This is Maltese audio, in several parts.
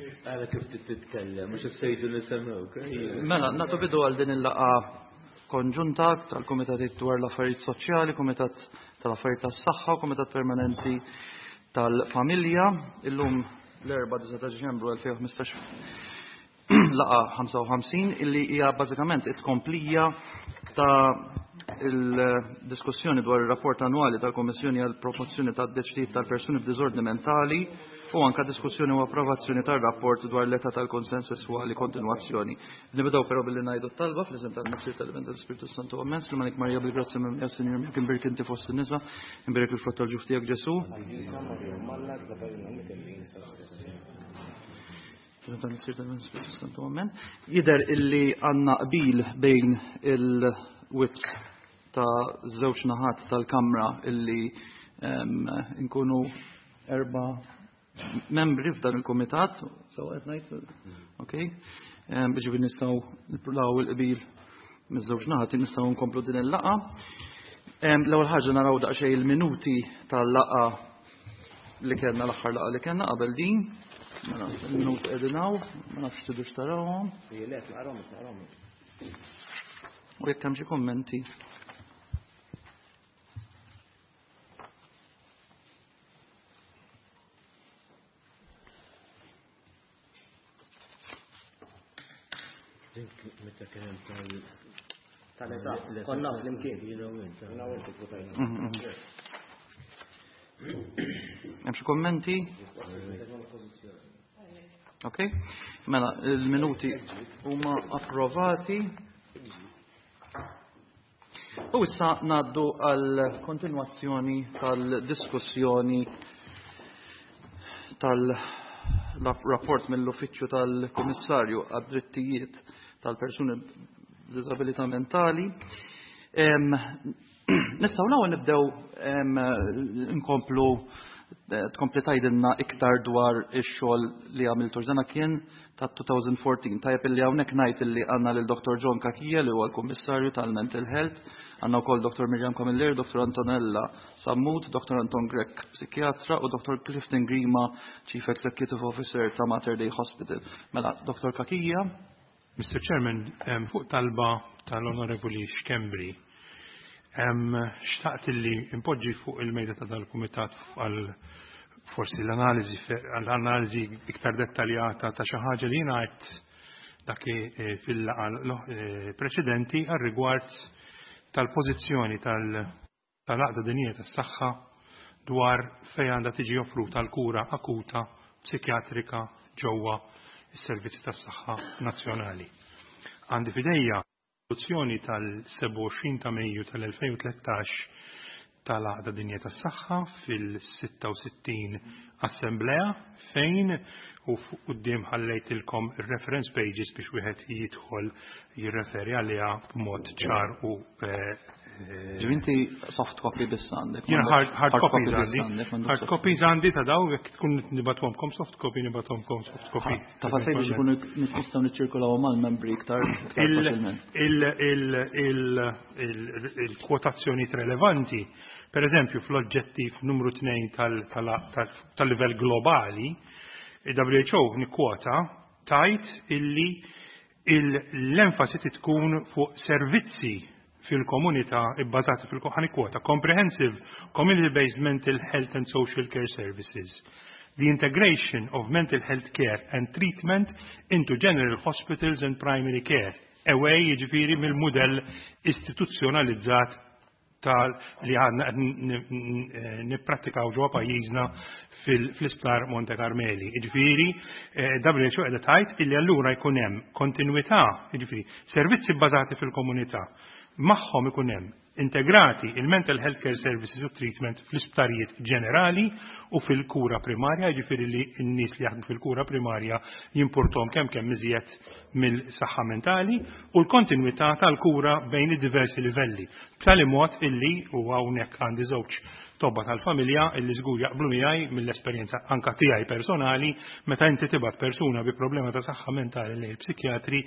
Għala kif titkellem, mhux issejdu nisemgħuk. Mela, nagħtu bidu għal din il-laqgħa konġunta tal-Kumitat dwar l-Affarijiet Soċjali, Kumitat tal-Affarijiet tas-Saħħa u Kumitat Permanenti tal-Familja. Illum l-4 ta' Diċembru 2015 laqa 55 illi hija bażikament it-tkomplija ta' il-diskussjoni dwar ir-rapport annwali tal-Kommissjoni għal promozzjoni ta' drittijiet tal-persuni b'diżordni mentali u anka diskussjoni u approvazzjoni tar-rapport dwar l-età tal-konsens sesswali kontinwazzjoni. Nibdew però billi ngħidu t-talba fl-isem tal-Missier tal-Iben tal-Ispirtu Santu Amen. Silmanik Marija bil-grazzja minn Sinjur miegħek imbierek inti fost in-nisa, imbierek il-frott tal-ġuf tiegħek Ġesu. Jidher illi għandna qbil bejn il-whips ta' żewġ naħat tal-Kamra illi nkunu erba' membri f'dan il-kumitat, so qed ngħid, okay? Biex nistgħu nippruvaw il-qbil miż-żewġ naħat nistgħu nkomplu din il-laqgħa. L-ewwel ħaġa naraw daqsxejn il-minuti tal-laqgħa li kellna l-aħħar laqgħa li kellna qabel din. Mela, il-minuti qegħdin hawn, ma nafx tidux tarawhom. U jekk hemm xi kummenti. Meta kien hemm tal tal-età. Konna flimkien. Jiena u int. Jiena u int votajna. Hemm xi kummenti? Ok. Mela, il-minuti huma approvati. U issa ngħaddu għal kontinwazzjoni tal-diskussjoni tal-rapport mill-Uffiċċju tal-Kummissarju għad-Drittijiet tal-Persuni b'Diżabilità Mentali. Nistgħu l-ewwel nibdew nkomplu tkompli tgħidilna iktar dwar ix-xogħol li għamiltu. Dana kien ta' 2014. Tajjeb illi hawnhekk ngħid illi għandna lil Dr. John Cachia li huwa l-Kummissarju tal-Mental Health, għandna wkoll Dr. Miriam Camilleri, Dr. Antonella Sammut, Dr. Anton Grech, psikjatra, u Dr. Clifton Grima, Chief Executive Officer ta' Mater Dei Hospital. Mela, Dr. Cachia. Mr. Chairman, fuq talba tal-Onorevoli Schembri, xtaqt li impoġġi fuq il-mejda ta' dal-Kumitat għal forsi l-analiżi għall-analiżi iktar dettaljata ta' xi ħaġa li jiena għedt dak fil-laqgħa preċedenti għal rigward tal-pożizzjoni tal-Għaqda Dinjija tas-Saħħa dwar fejn għandha tiġi offruta l-kura akuta psikjatrika ġewwa s-servizzi tas-saħħa nazzjonali. Għandi f'idejja riżoluzzjoni tal-27 ta' Mejju tal-2013 tal-Għaqda Dinjija tas-Saħħa fil-66 Assemblea fejn u quddiem ħallejtilkom ir-reference pages biex wieħed jidħol jirreferi għaliha b'mod ċar u Ġifieri inti soft copy biss għandek. Jien hard copies għandi. Hard copies għandi ta' daw jekk tkun nibathomkom soft copy nibathomkom soft copy. Ta' fasej biex ikunu nistgħu niċċirkulaw mal-membri iktar faċilment. Il-kwotazzjonijiet relevanti, per eżempju fl-oġġettiv numru 2 tal-livell globali, il-WHO nikkwota tajt illi l-enfasi tkun fuq servizzi fil-komunità ibbażati fil kwota comprehensive community-based mental health and social care services. The integration of mental health care and treatment into general hospitals and primary care. Away jiġifieri mill-mudell istituzzjonalizzat tal li għadna nipprattikaw ġewwa pajjiżna fl-isptar Monte Carmeli. Jiġifieri, WHO qiegħda tgħid illi allura jkun hemm kontinwità, jiġifieri servizzi bbażati fil-komunità, magħhom ikun hemm integrati il-mental health care services u treatment fl-isptarijiet ġenerali u fil-kura primarja, jiġifieri li n-nies li jaħdmu fil-kura primarja jimpurtom kemm kemm iżjed mill-saħħa mentali u l-kontinwità tal-kura bejn id-diversi livelli. B'tali mod illi u hawnhekk għandi żewġ tobba tal-familja illi żgur jaqblu miegħi mill-esperjenza anka tiegħi personali meta inti tibgħat persuna bi problema ta' saħħa mentali lejn il-psikjatri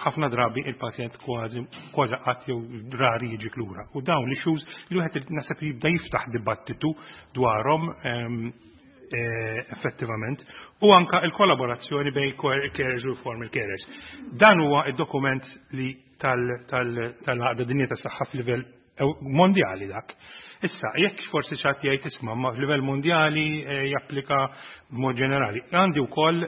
ħafna drabi il-pazjent kważi kważi qatt jew rari jiġi lura. U dawn l-issues li wieħed naħseb jibda jiftaħ dibattitu dwarhom. Effettivament u anka il-kollaborazzjoni bejn carers u formal carers. Dan huwa id-dokument li tal-Għaqda Dinjija tas-Saħħa f'livell mondjali dak. Issa, jekk forsi xi ħadd jgħid, "Isma', ma f'livell mondjali japplika b'mod ġenerali." Għandi wkoll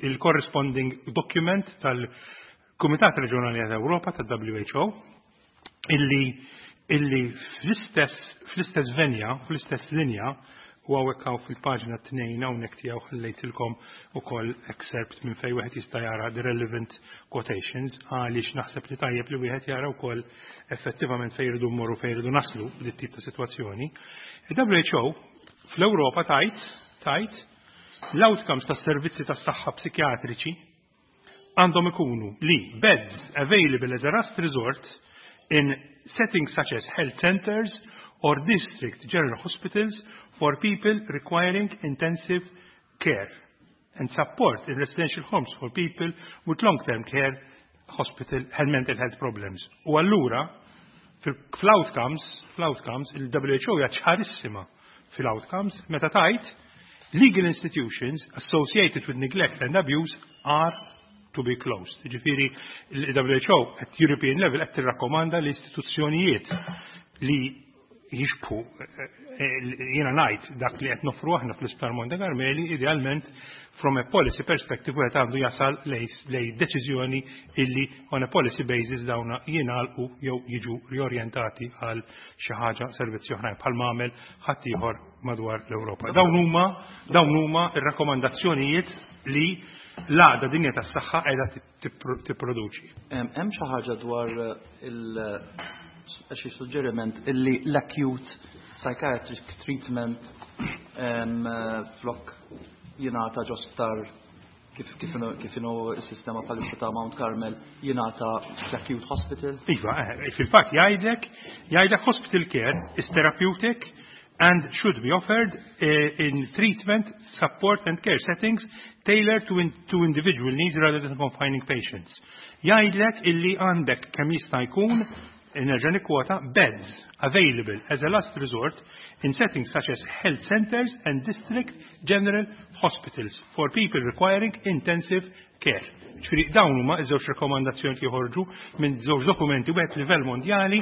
il-corresponding document tal-Kumitat Reġjonali tal-Ewropa tal-WHO illi fl-istess venja, fl-istess linja, u hawnhekk hawn fil-paġna 2 hawnhekk tiegħu ħallejtilkom ukoll excerpt minn fejn wieħed jista' jara the relevant quotations, għaliex naħseb li tajjeb li wieħed jara wkoll effettivament fejn jridu mmorru, fejn jridu naslu b'dit tip ta' sitwazzjoni. Il-WHO fl-Ewropa tajt l-outcomes tas servizzi tas-saħħa psikjatriċi għandhom ikunu li beds available as a last resort in settings such as health centers or district general hospitals for people requiring intensive care and support in residential homes for people with long-term care hospital and mental health problems. U allura, fl-outcomes, il-WHO hija ċarissima fil-outcomes meta tajt legal institutions associated with neglect and abuse are to be closed. Ġifieri, il-WHO at European level qed tirrakkomanda l-istituzzjonijiet li jixbħu, jiena ngħid, dak li qed noffru aħna fl-Isptar Monte Carmeli, idealment from a policy perspective wieħed għandu jasal lej deċiżjoni illi on a policy basis dawna jingħalqu jew jiġu riorjentati għal xi ħaġa, servizzi oħrajn, bħal għamel ħaddieħor madwar l-Ewropa. Dawn huma ir-rakkomandazzjonijiet li l-Għaqda Dinjija tas-Saħħa qiegħda tipproduċi. Hemm xi ħaġa dwar il xi suġġeriment illi l-acute psychiatric treatment flok jingħata ġo sptar kif inhu s-sistema bħalissa ta' Mount Carmel, jingħata fl-acute hospital? Iva, fil-fatt jgħidlek hospital care is therapeutic and should be offered in treatment, support and care settings tailored to individual needs rather than confining patients. Jgħidlek illi għandek kemm jista' jkun, nerġa' nikkwota, beds available as a last resort in settings such as health centers and district general hospitals for people requiring intensive care. Ġifieri dawn huma iż-żewġ rekomandazzjoni li joħorġu minn żewġ dokumenti, wieħed livell mondjali,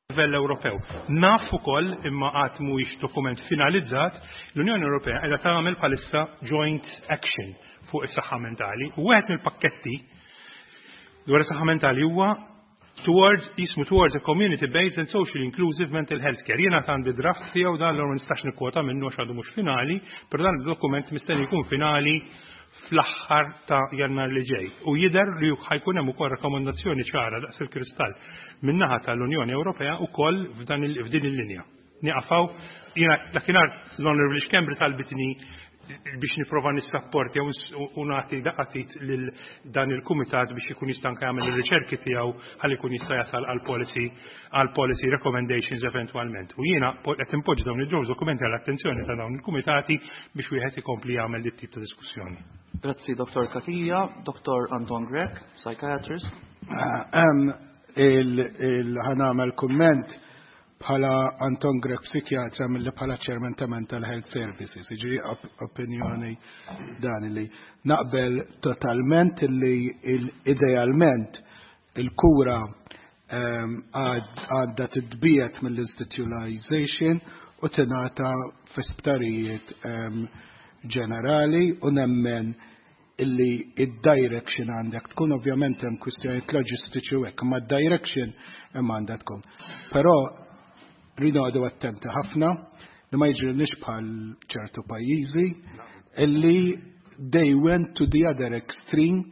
livell Ewropew. Naf ukoll, imma qatt mhuwiex dokument finalizzat, l-Unjoni Ewropea qiegħda tagħmel bħalissa joint action fuq is-saħħa mentali. U wieħed mill-pakketti dwar is-saħħa mentali huwa towards jismu Towards a Community Based and Socially Inclusive Mental Health Care. Jiena għandi draft tiegħu dan, l nistax nikkwota minnu għax għadu mhux finali, però dan il-dokument mistenni jkun finali fl-aħħar ta' Jannar li ġej. U jidher li ħa jkun hemm ukoll rakkomandazzjoni ċara daqs il-kristall min-naħa tal-Unjoni Ewropea ukoll f'din il-linja. Nieqaf hawn, jiena dakinhar l-Honorable Schembri talbitni biex nipprova nissapporti u nagħti daqqa t'id lil dan il-kumitat biex ikun jista' anke jagħmel ir-riċerki tiegħu ħalli jkun jista' jasal għal policy recommendations eventwalment. U jiena qed impoġġi dawn iż-żewġ dokumenti għall-attenzjoni ta' dawn il-kumitati biex wieħed ikompli jagħmel dit tip ta' diskussjoni. Grazzi, Dr. Cachia. Dr. Anton Grech, psychiatrist. Ħa nagħmel kumment bħala Anton Grech psikjatra mill bħala chairman ta' Mental Health Services. Ġifieri opinjoni dan li naqbel totalment li idealment il-kura għadda titbiegħed mill-institutionalization u tingħata fi sptarijiet ġenerali u nemmen illi id-direction għandek tkun, ovvjament hemm kwistjonijiet loġistiċi u hekk, ma d-direction hemm għandha tkun. Però rridu għadu attenti ħafna li ma jiġrilniex bħal ċertu pajjiżi illi they went to the other extreme,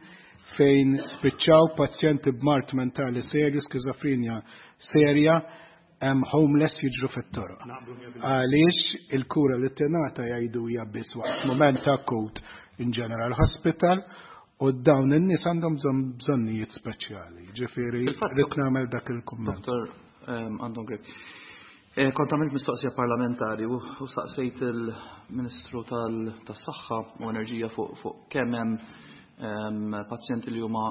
fejn spiċċaw pazjenti b'mard mentali serju, skizofrenja serja, hemm homeless jiġru fit-toroq. Għaliex il-kura li tingħata jgħidu hija biss waqt moment akut in general hospital u dawn in-nies għandhom bżonnijiet speċjali. Ġifieri rrid nagħmel dak il-kumment. Dr. Anton Grech. Kont għamilt mistoqsija parlamentari u saqsejt il-Ministru tas-Saħħa u Enerġija fuq kemm hemm pazjenti li huma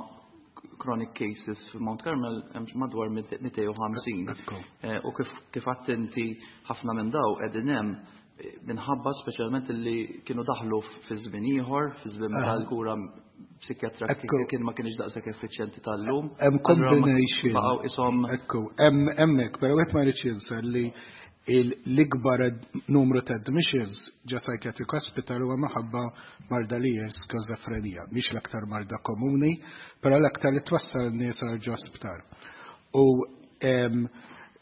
chronic cases f'Mount Carmel, hemm madwar 250. Ekku. U kif attenti ħafna minn daw qegħdin hemm. Minħabba speċjalment li kienu daħlu fi żmien ieħor, fi żmien meta l-kura psikjatra kien ma kienx daqshekk effiċjenti tal-lum. Hemm combination. Baqgħu ishom. Ekku, hemm hemmhekk, però wieħed ma jridx jinsa li l-ikbar numru ta' admissions ġa psychiatric hospital huwa minħabba marda li hija skizofrenija. Mhix l-aktar marda komuni, però l-aktar li twassal nies għal ġo sptar. U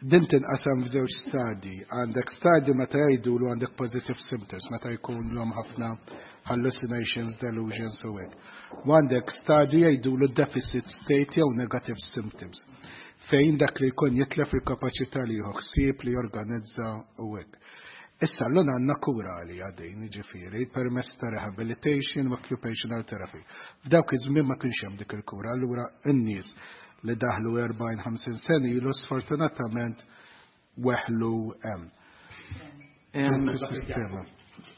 din tinqasam f'żewġ stadji. Għandek stadju meta jgħidulu għandek positive symptoms, meta jkun l ħafna hallucinations, delusions u hekk. U għandek stadju jgħidulu deficit state jew negative symptoms, fejn dak li jkun jitlef il-kapaċità li jieħu ħsieb, li jorganizza u hekk. Issa l għandna kura li għadin, ġifieri, permezz ta' rehabilitation u occupational therapy. F'dawk iż-żmien ma kienx hemm dik il-kura, allura n-nies li daħlu 40-50 sena ilu sfortunatament weħlu hemm. Sistema.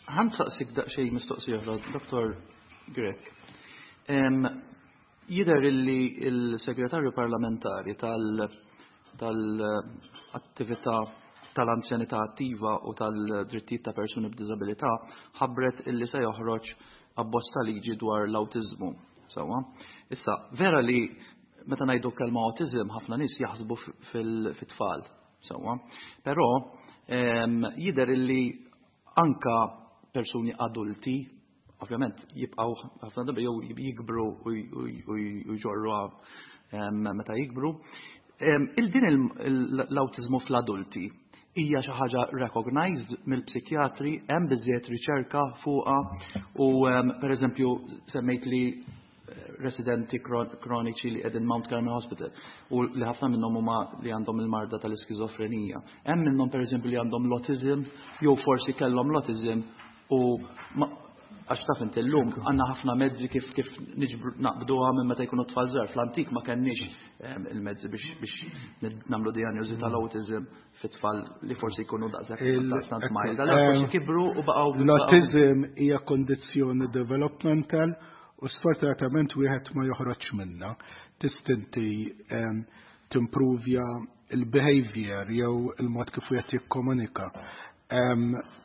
Ħa nsaqsik daqsxejn mistoqsija oħra, Dr. Grech. Jidher illi il-segretarju parlamentari tal-attività tal-anzjanità attiva u tal-drittijiet ta' persuni b'diżabilità ħabbret illi se joħroġ abbozz ta' liġi dwar l-awtiżmu. Sewwa. Issa, vera li meta ngħidu kelma autism ħafna nies jaħsbu fit-tfal. Sewwa. Però jidher illi anka persuni adulti ovvjament jibqgħu ħafna drabi jew jikbru u jġorru meta jikbru. Il-din l-awtiżmu fl-adulti hija xi ħaġa recognized mill-psikjatri, hemm biżejjed riċerka fuqha u pereżempju semmejt li residenti kroniċi li qegħdin Mount Carmel Hospital u li ħafna minnhom huma li għandhom il-marda tal-iskizofrenija. Hemm minnhom, pereżempju, li għandhom l-autism jew forsi kellhom l-autism u għax taf inti llum għandna ħafna mezzi kif niġbru naqbduha minn meta jkunu tfal żgħar. Fl-antik ma kenniex il-mezzi biex nagħmlu dijanjosi tal-autism fit-tfal li forsi jkunu daqshekk daqstant mild. Allura forsi kibru u baqgħu. L-autism hija kondizzjoni developmental u sfortunatament wieħed ma joħroġ minna. Tista' inti timprovja il-behavior jew il-mod kif wieħed jikkomunika.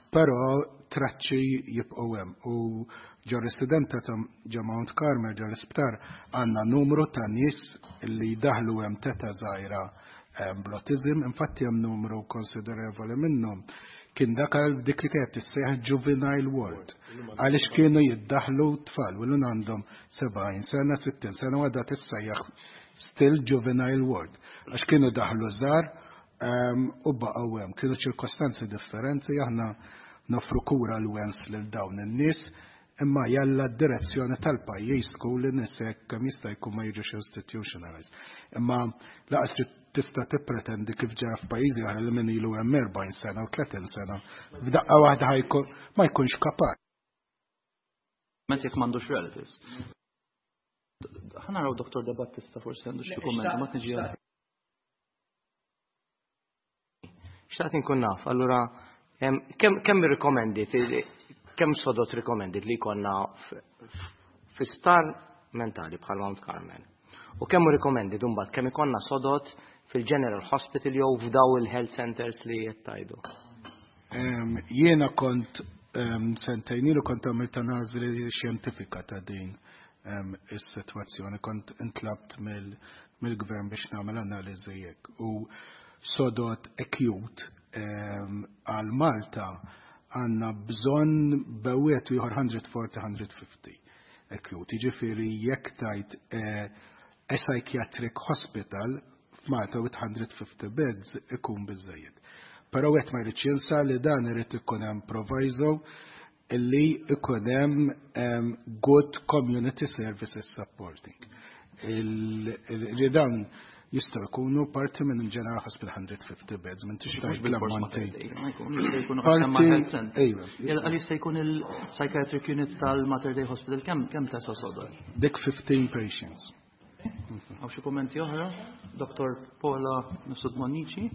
Però traċċi jibqgħu hemm u ġo residenta ta' ġo Mount Carmel, ġo l-isptar, għandna numru ta' nies li daħlu hemm t'età żgħira bl-autism, infatti hemm numru konsiderevoli minnhom kien dak għal dik li kienet tissejjaħ juvenile ward, għaliex kienu jiddaħlu tfal u l għandhom 70 sena, 60 sena u għadha tissejjaħ still juvenile ward, għax kienu daħlu żgħar u baqgħu hemm. Kienu ċirkostanzi differenti, aħna nofru kura l-wens lil dawn in-nies, imma jalla d-direzzjoni tal-pajjiż tkun li nies kemm jista' jkun ma jiġux institutionalized. Imma lanqas trid tista' tippretendi kif ġara f'pajjiżi oħra li min ilu hemm 40 sena u 30 sena f'daqqa waħda ħajkun ma jkunx kapaċi. Ment jekk m'għandux relatives. Ħa naraw Dr. De Battista forsi għandu xi kummenti, ma tiġi għal. Xtaqt inkun naf, allura kemm recommended, kemm sodod recommended li jkollna fi sptar mentali bħal Mount Carmel? U kemm recommended imbagħad kemm ikollna sodod fil-General Hospital jew f'daw il-health centers li qed tgħidu? Jiena kont sentejn ilu kont għamilt analiżi xjentifika ta' din is-sitwazzjoni, kont intlabt mill-gvern biex nagħmel analiżi hekk. U sodod acute għal Malta għandna bżonn bejn ieħor 140-150 acute. Jiġifieri jekk tajt a psychiatric hospital f'Malta with 150 beds ikun biżejjed. Però wieħed ma jridx jinsa li dan irid ikun hemm proviso illi ikun hemm good community services supporting. Li dan jistgħu jkunu parti minn General Hospital 150 beds, minn tix Mhux bil-fors ma l-ammonti. Ma jkun, jista' jkunu Parti- qasam ma' health center. Ejwa. Jella, għal jista' jkun il-psychiatric unit tal-Mater Dei Hospital, kemm tesa sodod? Dik 15 patients. Hawn xi kummenti oħra? Dr. Paula Mifsud Bonnici.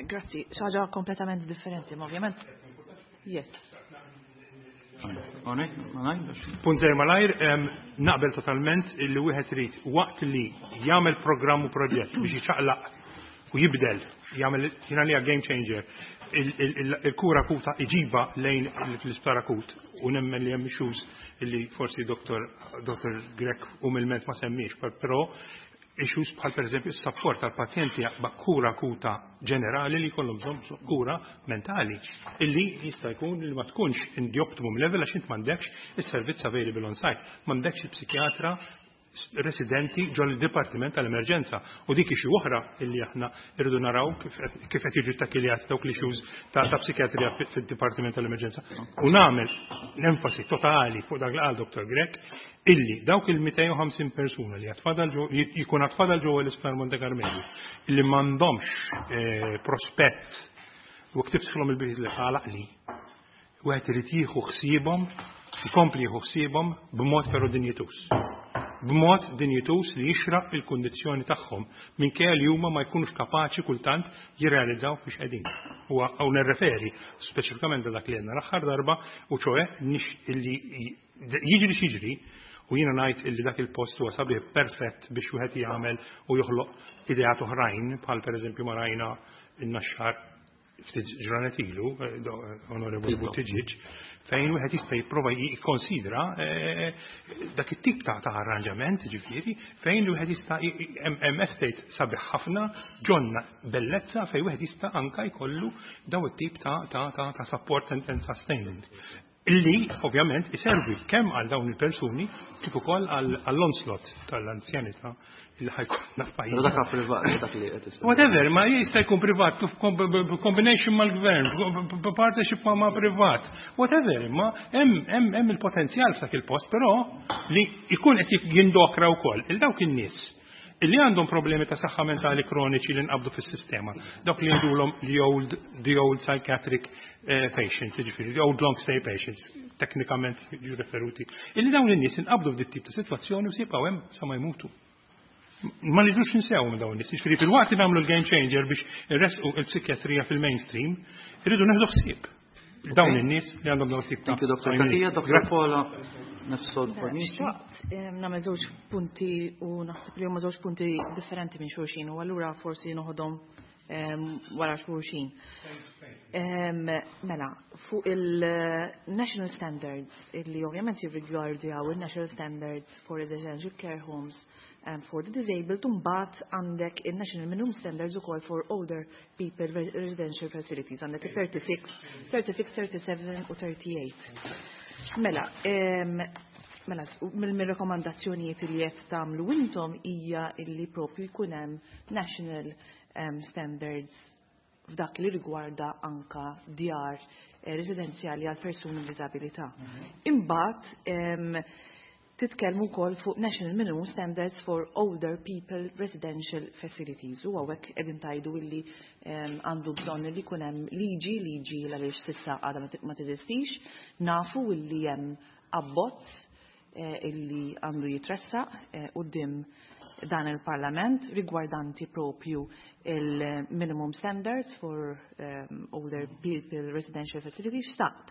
Grazzi, xi ħaġa kompletament differenti, ma ovvjament. Yes. Onek, ma ngħidx. Punt żgħir malajr, naqbel totalment illi wieħed irid waqt li jagħmel programm u proġett biex jiċaqlaq u jibdel, jagħmel jiena li game changer. Il-kura akuta iġiba lejn l-isptar akut u nemmen li hemm issues illi forsi Dr. Grech umilment ma semmiex, però issues bħal pereżempju s-support tal-pazjenti kura akuta ġenerali li jkollhom bżonn kura mentali illi jista' jkun li ma tkunx in the optimum level għax int m'għandekx is-servizz available on site, m'għandekx il-psikjatra residenti ġol il-Dipartiment tal-Emerġenza. U dik xi oħra illi aħna irridu naraw kif qed jiġu takiljati dawk l-issues ta' psikjatrija fid-Dipartiment tal-Emerġenza. U nagħmel l-enfasi totali fuq dak li qal Dr. Grech illi dawk il-250 persuna li għatfadal jkun għatfadal ġewwa l-Isptar Monte Carmeli illi m'għandhomx prospett u ktiftħilhom il-biħid li ħalaq li wieħed irid jieħu ħsiebhom, ikompli jieħu ħsiebhom b'mod però dinjituż. B'mod dinjituż li jixraq il-kundizzjoni tagħhom minkejja li huma ma jkunux kapaċi kultant jirrealizzaw fiex qegħdin. U hawn nirreferi speċifikament dak li għedna l-aħħar darba u ċoe illi jiġri x'jiġri u jiena ngħid illi dak il-post huwa sabiħ perfett biex wieħed jagħmel u joħloq ideat oħrajn bħal pereżempju ma rajna in-Naxxar ftit ġranet ilu, Onorevoli Buttigieg, fejn wieħed jista' jipprova jikkonsidra dak it-tip ta' arranġament, ġifieri, fejn wieħed jista' hemm estate sabiħ ħafna, ġonna bellezza fejn wieħed jista' anka jkollu daw it-tip ta' support and sustainment. Illi, ovvjament, iservi kemm għal dawn il-persuni kif ukoll għall-onslaught tal-anzjanità illi ħa jkollna f'pajjiż. Dak privat, dak li qed Whatever, ma jista' jkun privat, kif combination mal-gvern, partnership ma' privat, whatever, ma hemm il-potenzjal f'dak il-post, però li jkun qed jindokra wkoll il dawk in-nies illi għandhom problemi ta' saħħa mentali kroniċi li nqabdu fis-sistema. Dawk li jgħidulhom the old psychiatric patients, jiġifieri the old long stay patients, teknikament jiġu referuti. Illi dawn in-nies inqabdu f'dit tip ta' sitwazzjoni u jibqgħu hemm sa ma jmutu. Ma nidux ninsew minn dawn in-nies. Jiġifieri fil-waqt li nagħmlu l-game changer biex irresqu il-psikjatrija fil-mainstream, irridu neħdu ħsieb dawn in-nies li għandhom dawn tip ta' Thank you, Dr. Cachia. Dr. Paula Mifsud Bonnici. Xtaqt nagħmel żewġ punti u naħseb li huma żewġ punti differenti minn xulxin u allura forsi noħodhom wara xulxin. Mela, fuq il-National Standards, illi ovvjament jirrigwardjaw il-National Standards for Residential Care Homes for the Disabled, mbagħad għandek il-National Minimum Standards ukoll for Older People Residential Facilities, għandek il-36, 36, 37 u 38. Mela, mill-rekomandazzjonijiet li qed tagħmlu intom hija illi propju jkun hemm national standards f'dak li rigwarda anka djar residenzjali għal persuni b'diżabilità. Imbagħad titkellmu wkoll fuq National Minimum Standards for Older People Residential Facilities u hawnhekk qegħdin tgħidu illi għandu bżonn li jkun hemm liġi għaliex s'issa għadha ma teżistix, nafu illi hemm abbozz illi għandu jitressaq quddiem dan il-Parlament rigwardanti propju il-minimum standards for older people residential facilities. Xtaqt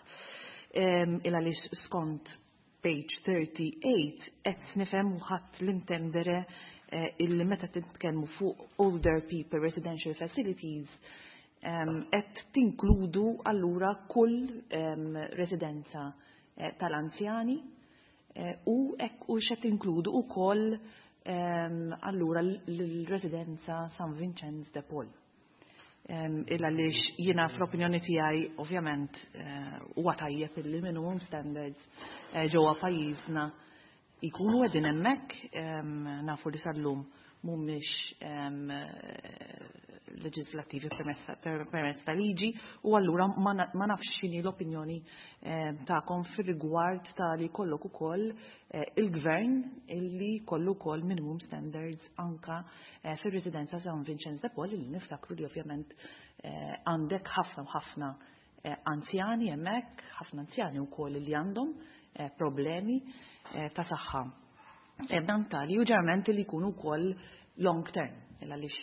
il għaliex skont page 38 qed nifhem u ħadd l-intendere illi meta titkellmu fuq older people residential facilities qed tinkludu allura kull residenza tal-anzjani u hekk u x'qed tinkludu wkoll allura l-residenza San Vincenz de Paul. Il għaliex jiena fl-opinjoni tiegħi ovvjament huwa tajjeb illi minimum standards ġewwa pajjiżna jkunu qegħdin hemmhekk, nafu li sal-lum mhumiex leġislattivi permezz ta' liġi u allura ma nafx x'inhi l-opinjoni tagħkom fir-rigward ta' li jkollok ukoll il-gvern illi jkollu wkoll minimum standards anka fir-residenza San Vincenz de Paul illi niftakru li ovvjament għandek ħafna u ħafna anzjani hemmhekk, ħafna anzjani wkoll li għandhom problemi ta' saħħa mentali u ġeneralment li jkunu wkoll long term, għaliex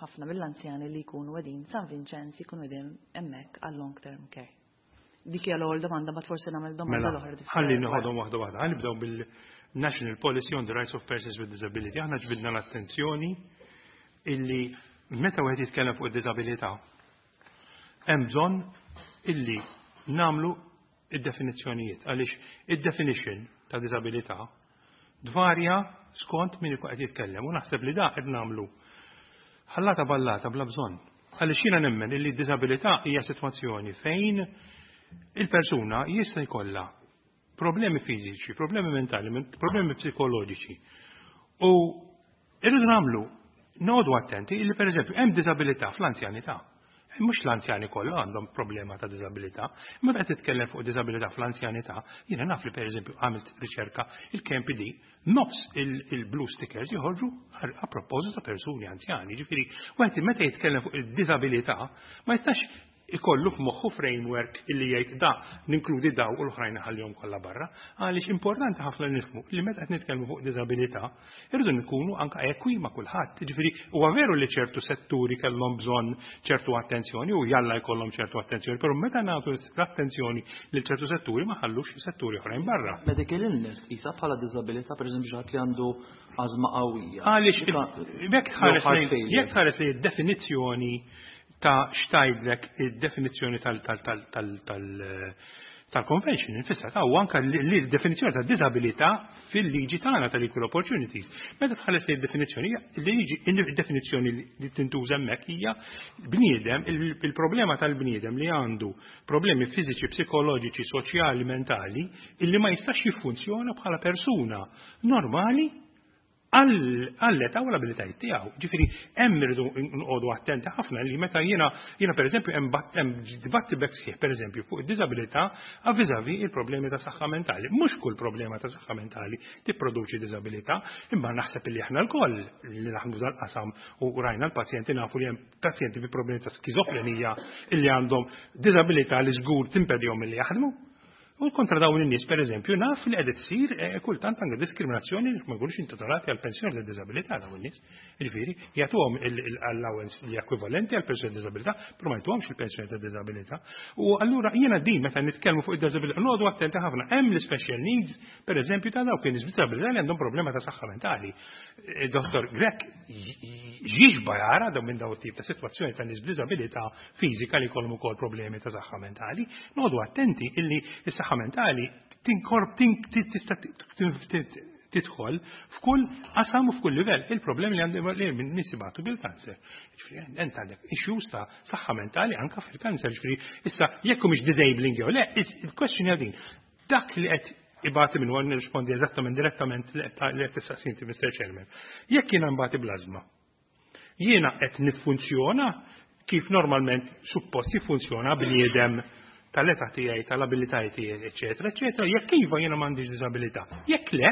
ħafna mill-anzjani li jkunu qegħdin San Vincenz jkunu qegħdin hemmhekk għal long term care. Dik hija l-ewwel domanda, ma forsi nagħmel domanda Mela, l-oħra differenti. Ħalli noħodhom waħda waħda. Ħalli nibdew bil-National Policy on the Rights of Persons with Disability. Aħna ġbidna l-attenzjoni illi meta wieħed jitkellem fuq id-disabilità, Hemm bżonn illi nagħmlu id-definizzjonijiet għaliex id-definition ta' diżabilità tvarja skont min ikun qed jitkellem u naħseb li da qed nagħmlu ħallata ballata bla bżonn. Għaliex jiena nemmen illi d-diżabilità hija sitwazzjoni fejn il-persuna jista' jkollha problemi fiżiċi, problemi mentali, problemi psikoloġiċi. U irridu nagħmlu noqogħdu attenti illi pereżempju hemm diżabilità fl-anzjanità. Mhux l-anzjani kollha għandhom problema ta' diżabilità, imma qed titkellem fuq diżabilità fl-anzjanità, jiena naf li pereżempju għamilt riċerka il-KMPD nofs il-blue stickers joħorġu a proposito ta' persuni anzjani. Ġifieri, wieħed meta jitkellem fuq id-diżabilità ma jistax ikollu f'moħħu framework illi jgħid da ninkludi daw u l-oħrajn ħallihom kollha barra, għaliex importanti ħafna nifhmu li meta qed nitkellmu fuq diżabilità irridu nkunu anke ekwi ma' kulħadd. Ġifieri huwa veru li ċertu setturi kellhom bżonn ċertu attenzjoni u jalla jkollhom ċertu attenzjoni, però meta nagħtu l-attenzjoni lil ċertu setturi ma ħallux setturi oħrajn barra. Medical illness tqisha bħala diżabilità pereżempju xi ħadd li għandu ażma qawwija. Għaliex jekk tħares li d-definizzjoni ta' x'tgħidlek id-definizzjoni tal-convention infissa ta' u anka li definizzjoni ta' disabilità fil-liġi tagħna tal-equal opportunities. Meta tħares li d-definizzjoni, il-liġi id-definizzjoni li tintuża hemmhekk hija bniedem, il-problema tal-bniedem li għandu problemi fiżiċi, psikoloġiċi, soċjali, mentali, illi ma jistax jiffunzjona bħala persuna normali għall-età u l-abilitajiet tiegħu. Ġifieri hemm irridu nqogħdu attenti ħafna li meta jiena pereżempju hemm dibatti bekk sħiħ pereżempju fuq id-diżabilità vis-à-vis il-problemi ta' saħħa mentali. Mhux kull problema ta' saħħa mentali tipproduċi diżabilità, imma naħseb li aħna lkoll li naħdmu dal-qasam u rajna l-pazjenti nafu li hemm pazjenti bi problemi ta' skizofrenija illi għandhom diżabilità li żgur timpedihom milli jaħdmu. U kontra dawn in-nies pereżempju naf li qed issir kultant anke diskriminazzjoni li ma jkunux intitolati għal pensjoni ta' diżabilità dawn in-nies. Jiġifieri jagħtuhom l-allowance li ekwivalenti għal pensjoni ta' diżabilità, però ma jtuhomx il-pensjoni ta' diżabilità. U allura jiena din meta nitkellmu fuq id-diżabilità noqogħdu attenti ħafna. Hemm l-special needs, pereżempju ta' dawk in-nies b'diżabilità li għandhom problema ta' saħħa mentali. Dottor Grech jixba jara dawn minn dawn tip ta' sitwazzjoni ta' nies b'diżabilità fiżika li jkollhom ukoll problemi ta' saħħa mentali. Noqogħdu attenti illi s-saħħa mentali tinkorp tista' tidħol f'kull qasam u f'kull livell. Il-problemi li għandhom li minn nies ibatu bil-kanser. Ġifieri ent għandek issues ta' saħħa mentali anke fil-kanser. Ġifieri issa jekk mhux disabling jew le, il-question hija din. Dak li qed ibati minn għan nirrispondi eżattament direttament li qed tistaqsi Mr. Chairman. Jekk jiena nbati bl-ażma, jiena qed niffunzjona kif normalment suppost jiffunzjona bniedem tal-età tiegħi, tal-abilitajiet tiegħi, eċetera, eċetera, jekk iva jiena m'għandix diżabilità. Jekk le,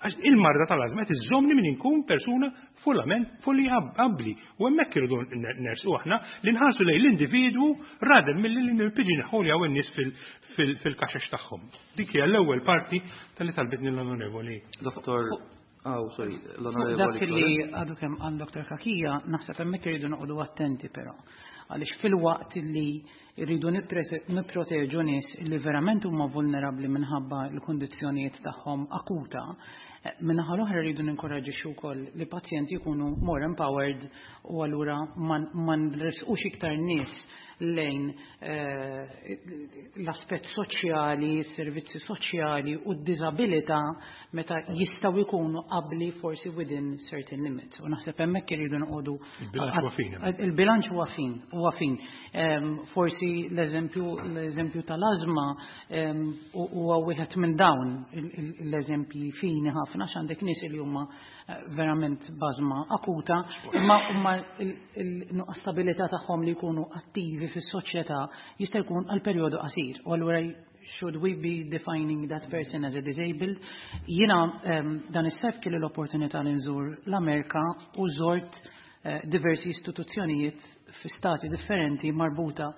għax il-marda tal-ażma qed iżżommni minn inkun persuna fullament fully abbli. U hemmhekk irridu nersu aħna li nħarsu lejn l-individwu rather milli li nippiġinħoljaw in-nies fil-kaxex tagħhom. Dik hija l-ewwel parti tal-li talbitni l-onorevoli. Dottor Oh, sorry, l-onorevoli. Dak li għadu kemm għal Dr. Cachia, naħseb hemmhekk irridu noqogħdu attenti però. Għaliex fil-waqt li rridu nipproteġu nies li verament huma vulnerabbli minħabba l-kundizzjonijiet tagħhom akuta, minnaħa l-oħra rridu ninkoraġixxu wkoll li pazjenti jkunu more empowered u allura ma nresqux iktar nies lejn l-aspett soċjali, servizzi soċjali u d-disabilità meta jistgħu jkunu qabli forsi within certain limits. U naħseb hemmhekk irridu noqogħdu Il-bilanċ huwa fin. Il-bilanċ huwa fin, huwa fin. Forsi l-eżempju tal-ażma huwa wieħed minn dawn l-eżempji fini ħafna x'għandek nies li huma verament b'ażma akuta, imma il-nuqqas stabilità tagħhom li jkunu attivi fis-soċjetà jista' jkun għal perjodu qasir. U allura should we be defining that person as a disabled? Jiena dan is-sajf kelli l-opportunità li nżur l-Amerika u żort diversi istituzzjonijiet fi stati differenti marbuta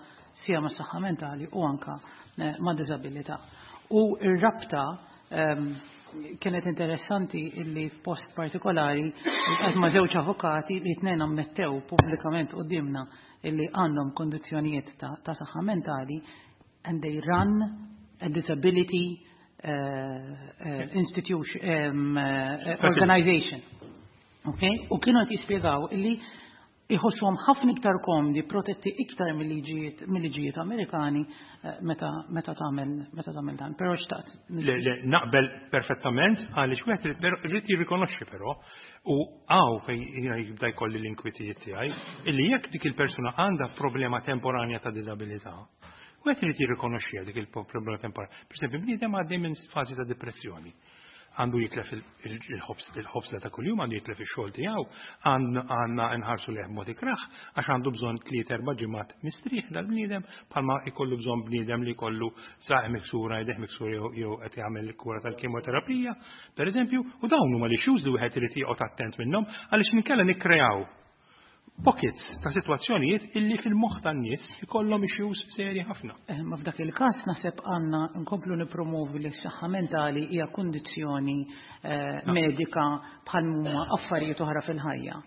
sia ma' saħħa mentali u anka ma' disabilità. U r-rabta kienet interessanti illi f'post partikolari qed ma' żewġ avukati li tnejn ammettew pubblikament qudiemna illi għandhom kondizzjonijiet ta' saħħa mentali and they run a disability institution, organization. Okay? U kienu qed jispjegaw illi Iħossuhom ħafna iktar komdi, protetti iktar mill-liġijiet Amerikani meta tagħmel dan. Però xtaqt. Le, naqbel perfettament, għaliex wieħed irid jirrikonoxxi però, u hawn fejn jiena jibda jkolli l-inkwitijiet tiegħi, illi jekk dik il-persuna għandha problema temporanja ta' diżabilità, wieħed irid jirrikonoxxiha dik il-problema temporanja. Per esempio, bniedem għaddej minn fażi ta' depressjoni. Għandu jitlef il-ħobż ta' kuljum, għandu jitlef ix-xogħol tiegħu, għandna nħarsu lejh b'mod ikrah, għax għandu bżonn 3-4 ġimgħat mistrieħ dal-bniedem, bħalma jkollu bżonn bniedem li jkollu saqajh miksura, jdejh miksura jew qed jagħmel kura tal-kimoterapija, pereżempju, u dawn huma l-issues li wieħed irid joqgħod attent minnhom, għaliex inkella nikkreaw pockets ta' sitwazzjonijiet illi fil-moħħ tan-nies ikollhom issues serji ħafna. Ma f'dak il-każ naħseb għandna nkomplu nippromovi li s-saħħa mentali hija kundizzjoni medika bħal huma affarijiet oħra fil-ħajja.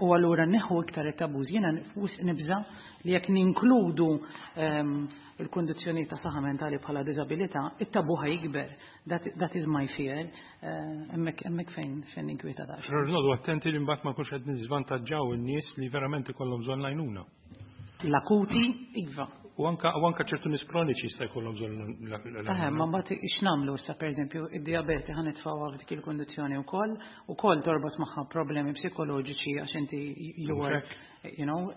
U allura neħu iktar it-tabuż. Jiena nibża li jekk ninkludu il-kundizzjoni ta' saħħa mentali bħala diżabilità, it-tabu ħa jikber. That is my fear. Hemmhekk fejn inkwieta daqsxejn. Però noqogħdu attenti li mbagħad ma nkunx qed niżvantaġġaw in-nies li verament ikollhom bżonn l-għajnuna. L-akuti, iva. U anka ċertu nies kroniċi jista' jkollhom bżonn l-għajnuna. Ma mbagħad x'nagħmlu issa, pereżempju, id-dijabete ħa nitfgħuha f'dik il-kundizzjoni wkoll, ukoll torbot magħha problemi psikoloġiċi għax inti you are, you know,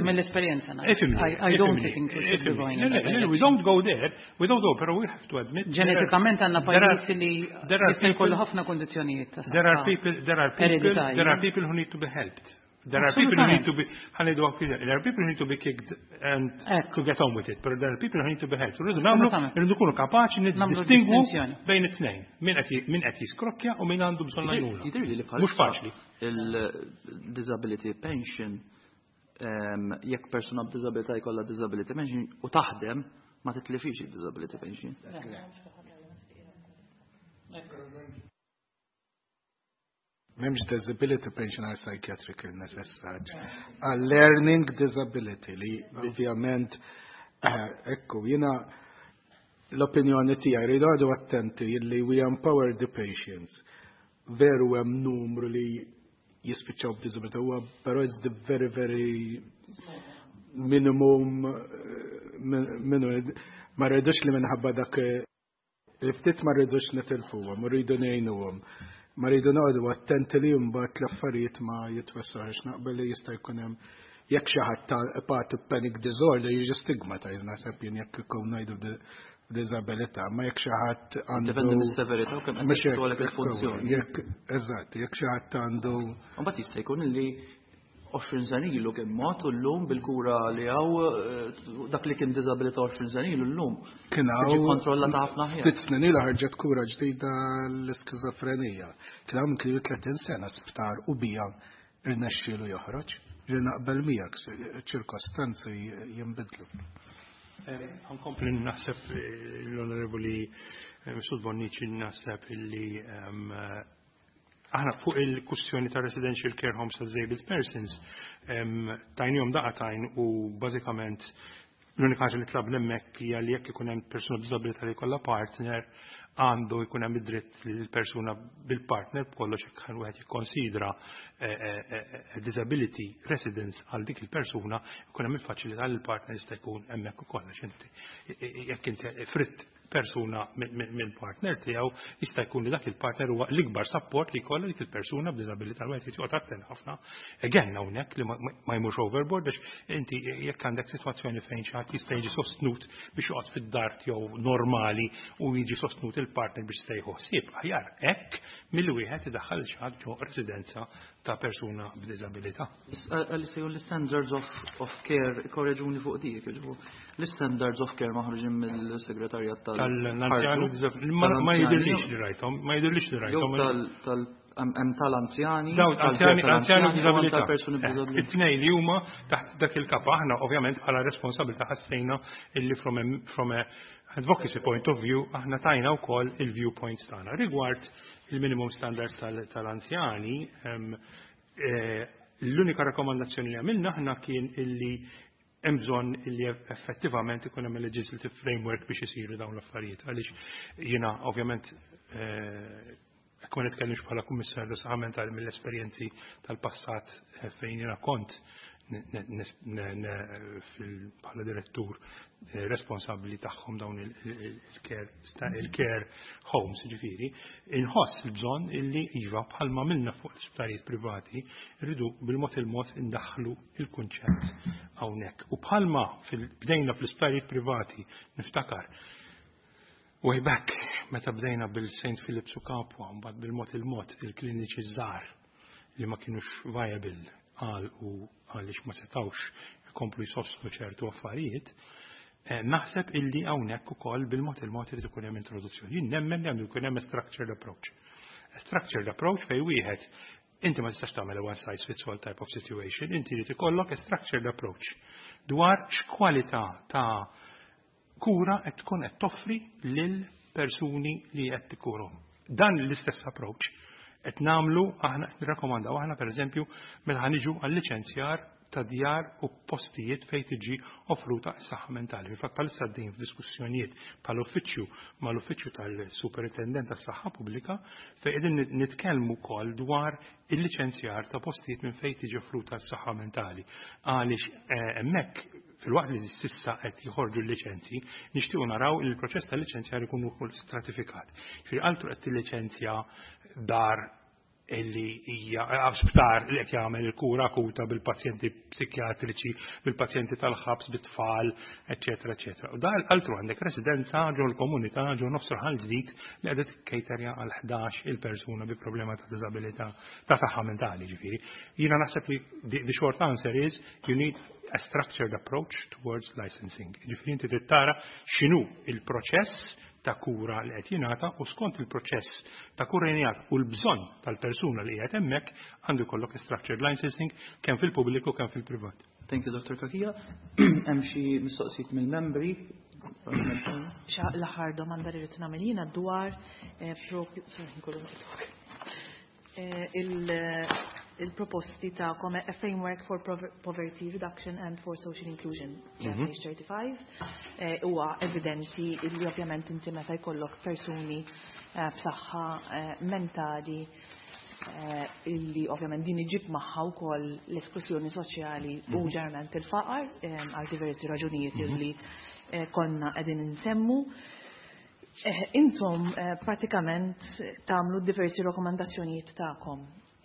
mill-esperjenza ngħid. I don't think we should be going in that We don't go there, we don't go, pero we have to admit. Ġenetikament għandna pajjiż li jista' jkollu ħafna kundizzjonijiet ta' There are people, there are people, there are people who need to be helped. There are people who need to be, ħa ngħidu, there are people who need to be kicked and to get on with it, but there are people who need to be helped. Rridu nagħmlu, rridu nkunu kapaċi niddistingwu bejn it-tnejn. Min qed jiskrokkja u min għandu bżonn għajnuna. Mhux faċli. Il-disability pension, jekk persuna b'disabilità jkollha disability pension u taħdem, ma titlifix il-disability pension. M'hemmx disability pension għal psychiatric illness as such. Għal learning disability li ovvjament, ekku, jiena l-opinjoni tiegħi rridu għadu attenti li we empower the patients. Veru hemm numru li jispiċċaw b'disability, huwa però it's the very, very minimum, minnu ma rridux li minħabba dak li ftit ma rridux nitilfuhom, rridu ngħinuhom. Ma rridu noqogħdu attenti li mbagħad l-affarijiet ma jitwessawx, naqbel li jista' jkun hemm jekk xi ħadd ta' pati panic disorder jiġi stigmatized, naħseb jien jekk ikun ngħidu disabilità, ma jekk xi ħadd għandu Dependi mis-severità u kemm qed Mhux hekk, jitwalek il-funzjoni. Jekk, eżatt, jekk xi ħadd għandu Mbagħad jista' jkun li 20 sena ilu kien mod u llum bil-kura li hawn, dak li kien diżabilità 20 sena ilu llum. Kien Tiġi hawn kontrollata ħafna aħjar. Ftit snin ilu ħarġet kura ġdida l-iskizofrenija. Kien hawn kien 30 sena sptar u bija irnexxielu joħroġ. Li naqbel miegħek, ċirkostanzi jinbidlu. Nkompli naħseb l-Onorevoli Mifsud Bonnici, naħseb illi aħna fuq il-kwestjoni ta' residential care homes ta' disabled persons tajnihom daqqa t'għajn u bażikament l-unika ħaġa li tlabna hemmhekk hija li jekk ikun hemm persuna b'diżabilità li jkollha partner, għandu jkun hemm id-dritt li l-persuna bil-partner b'kollox jekk wieħed jikkonsidra disability residence għal dik il-persuna, jkun hemm il-faċilità li l-partner jista' jkun hemmhekk ukoll, għax inti jekk inti fritt persuna mill-partner tiegħu, jista' jkun li dak il-partner huwa l-ikbar support li jkollha dik il-persuna b'diżabilità. Wieħed joqgħod attent ħafna. Again hawnhekk li ma jmurx overboard, biex inti jekk għandek sitwazzjoni fejn xi ħadd jista' jiġi sostnut biex joqgħod fid-dar tiegħu normali u jiġi sostnut il-partner biex jista' jieħu ħsieb, aħjar hekk milli wieħed idaħħal xi ħadd ġo residenza ta' persuna b'diżabilità. Għalli sejju l-standards of care, korreġuni fuq dik, ġifu, l-standards of care maħruġin mill-segretarjat tal- Tal-anzjani ma jidirlix li rajthom, ma jidirlix li rajthom. Jew hemm tal-anzjani, Dawn tal-care anzjani u tal-anzjani u hemm b'diżabilità. tal-persuni b'diżabilità. It-tnejn li huma taħt dak il-kapa, aħna ovvjament bħala responsabilità ħassejna illi from a advocacy point of view aħna tajna wkoll il-viewpoints tagħna rigward il-minimum standards tal-anzjani. L-unika rakkomandazzjoni li għamilna aħna kien illi hemm bżonn illi effettivament ikun hemm legislative framework biex isiru dawn l-affarijiet. Għaliex jiena ovvjament Jekk ma nitkellimx bħala kummissarju saħħa mentali mill-esperjenzi tal-passat fejn jiena kont bħala direttur responsabbli tagħhom dawn il-care homes, ġifieri, inħoss il-bżonn illi iva, bħalma għamilna fuq l-isptarijiet privati, rridu bil-mod il-mod indaħħlu il-kunċett hawnhekk. U bħalma bdejna fl-isptarijiet privati, niftakar, way back, meta bdejna bil-St. Philip's u Capua, mbagħad bil-mod il-mod il-kliniċi żgħar li ma kienux viable għal u għaliex ma setawx ikomplu jsostnu ċertu affarijiet, naħseb illi hawnhekk ukoll bil-mod il-mod irid ikun hemm introduzzjoni. Jien nemmen li għandu jkun hemm structured approach. A structured approach fej wieħed inti ma tistax tagħmel a one size fits all type of situation, inti irid ikollok a structured approach dwar x'kwalità ta' kura qed tkun qed toffri lil persuni li qed tikkurhom. Dan l-istess approach qed nagħmlu aħna, qed nirrakkomandaw aħna, pereżempju, meta ħaniġu għal-liċenzjar ta' djar u postijiet fejn tiġi offruta s-saħħa mentali. Fil-fatt bħalissa għaddejjin f'diskussjonijiet bħal-uffiċċju mal-uffiċċju tal-Superintendent tas-Saħħa Pubblika fejn qegħdin nitkellmu wkoll dwar il-liċenzjar ta' postijiet minn fejn tiġi offruta s-saħħa mentali. Għaliex hemmhekk, filwaqt li s'issa qed joħorġu l-liċenzji, nixtiequ naraw li l-proċess tal-liċenzjar ikun ukoll stratifikat. Ġifieri altru qed tilliċenzja dar illi hija sptar li qed jagħmel il-kura akuta bil-pazjenti psikjatriċi, bil-pazjenti tal-ħabs, bit-tfal, eċetera, eċetera. U da altru għandek residenza ġo l-komunità ġo nofs raħal ġdid li qiegħda tikkejterja għal 11 il-persuna bi problema ta' diżabilità ta' saħħa mentali, ġifieri. Jiena naħseb li the short answer is you need a structured approach towards licensing. Ġifieri inti trid tara x'inhu il-proċess ta' kura li qed jingħata u skont il-proċess ta' kura jingħata u l-bżonn tal-persuna li qiegħed hemmhekk għandu jkollok structured licensing kemm fil-pubbliku kemm fil-privat. Thank you, Dr. Cachia. Hemm xi mistoqsijiet mill-membri? L-aħħar domanda li rrid nagħmel jiena dwar propju, sorry, nkollu naqtok. Il-proposti ta' a framework for poverty reduction and for social inclusion, page 35, huwa evidenti li ovvjament inti meta jkollok persuni b'saħħa mentali illi ovvjament din iġib magħha wkoll l-esklużjoni soċjali u ġeneralment il-faqar għal diversi raġunijiet illi konna qegħdin insemmu. Intom pratikament tagħmlu diversi rakkomandazzjonijiet tagħkom.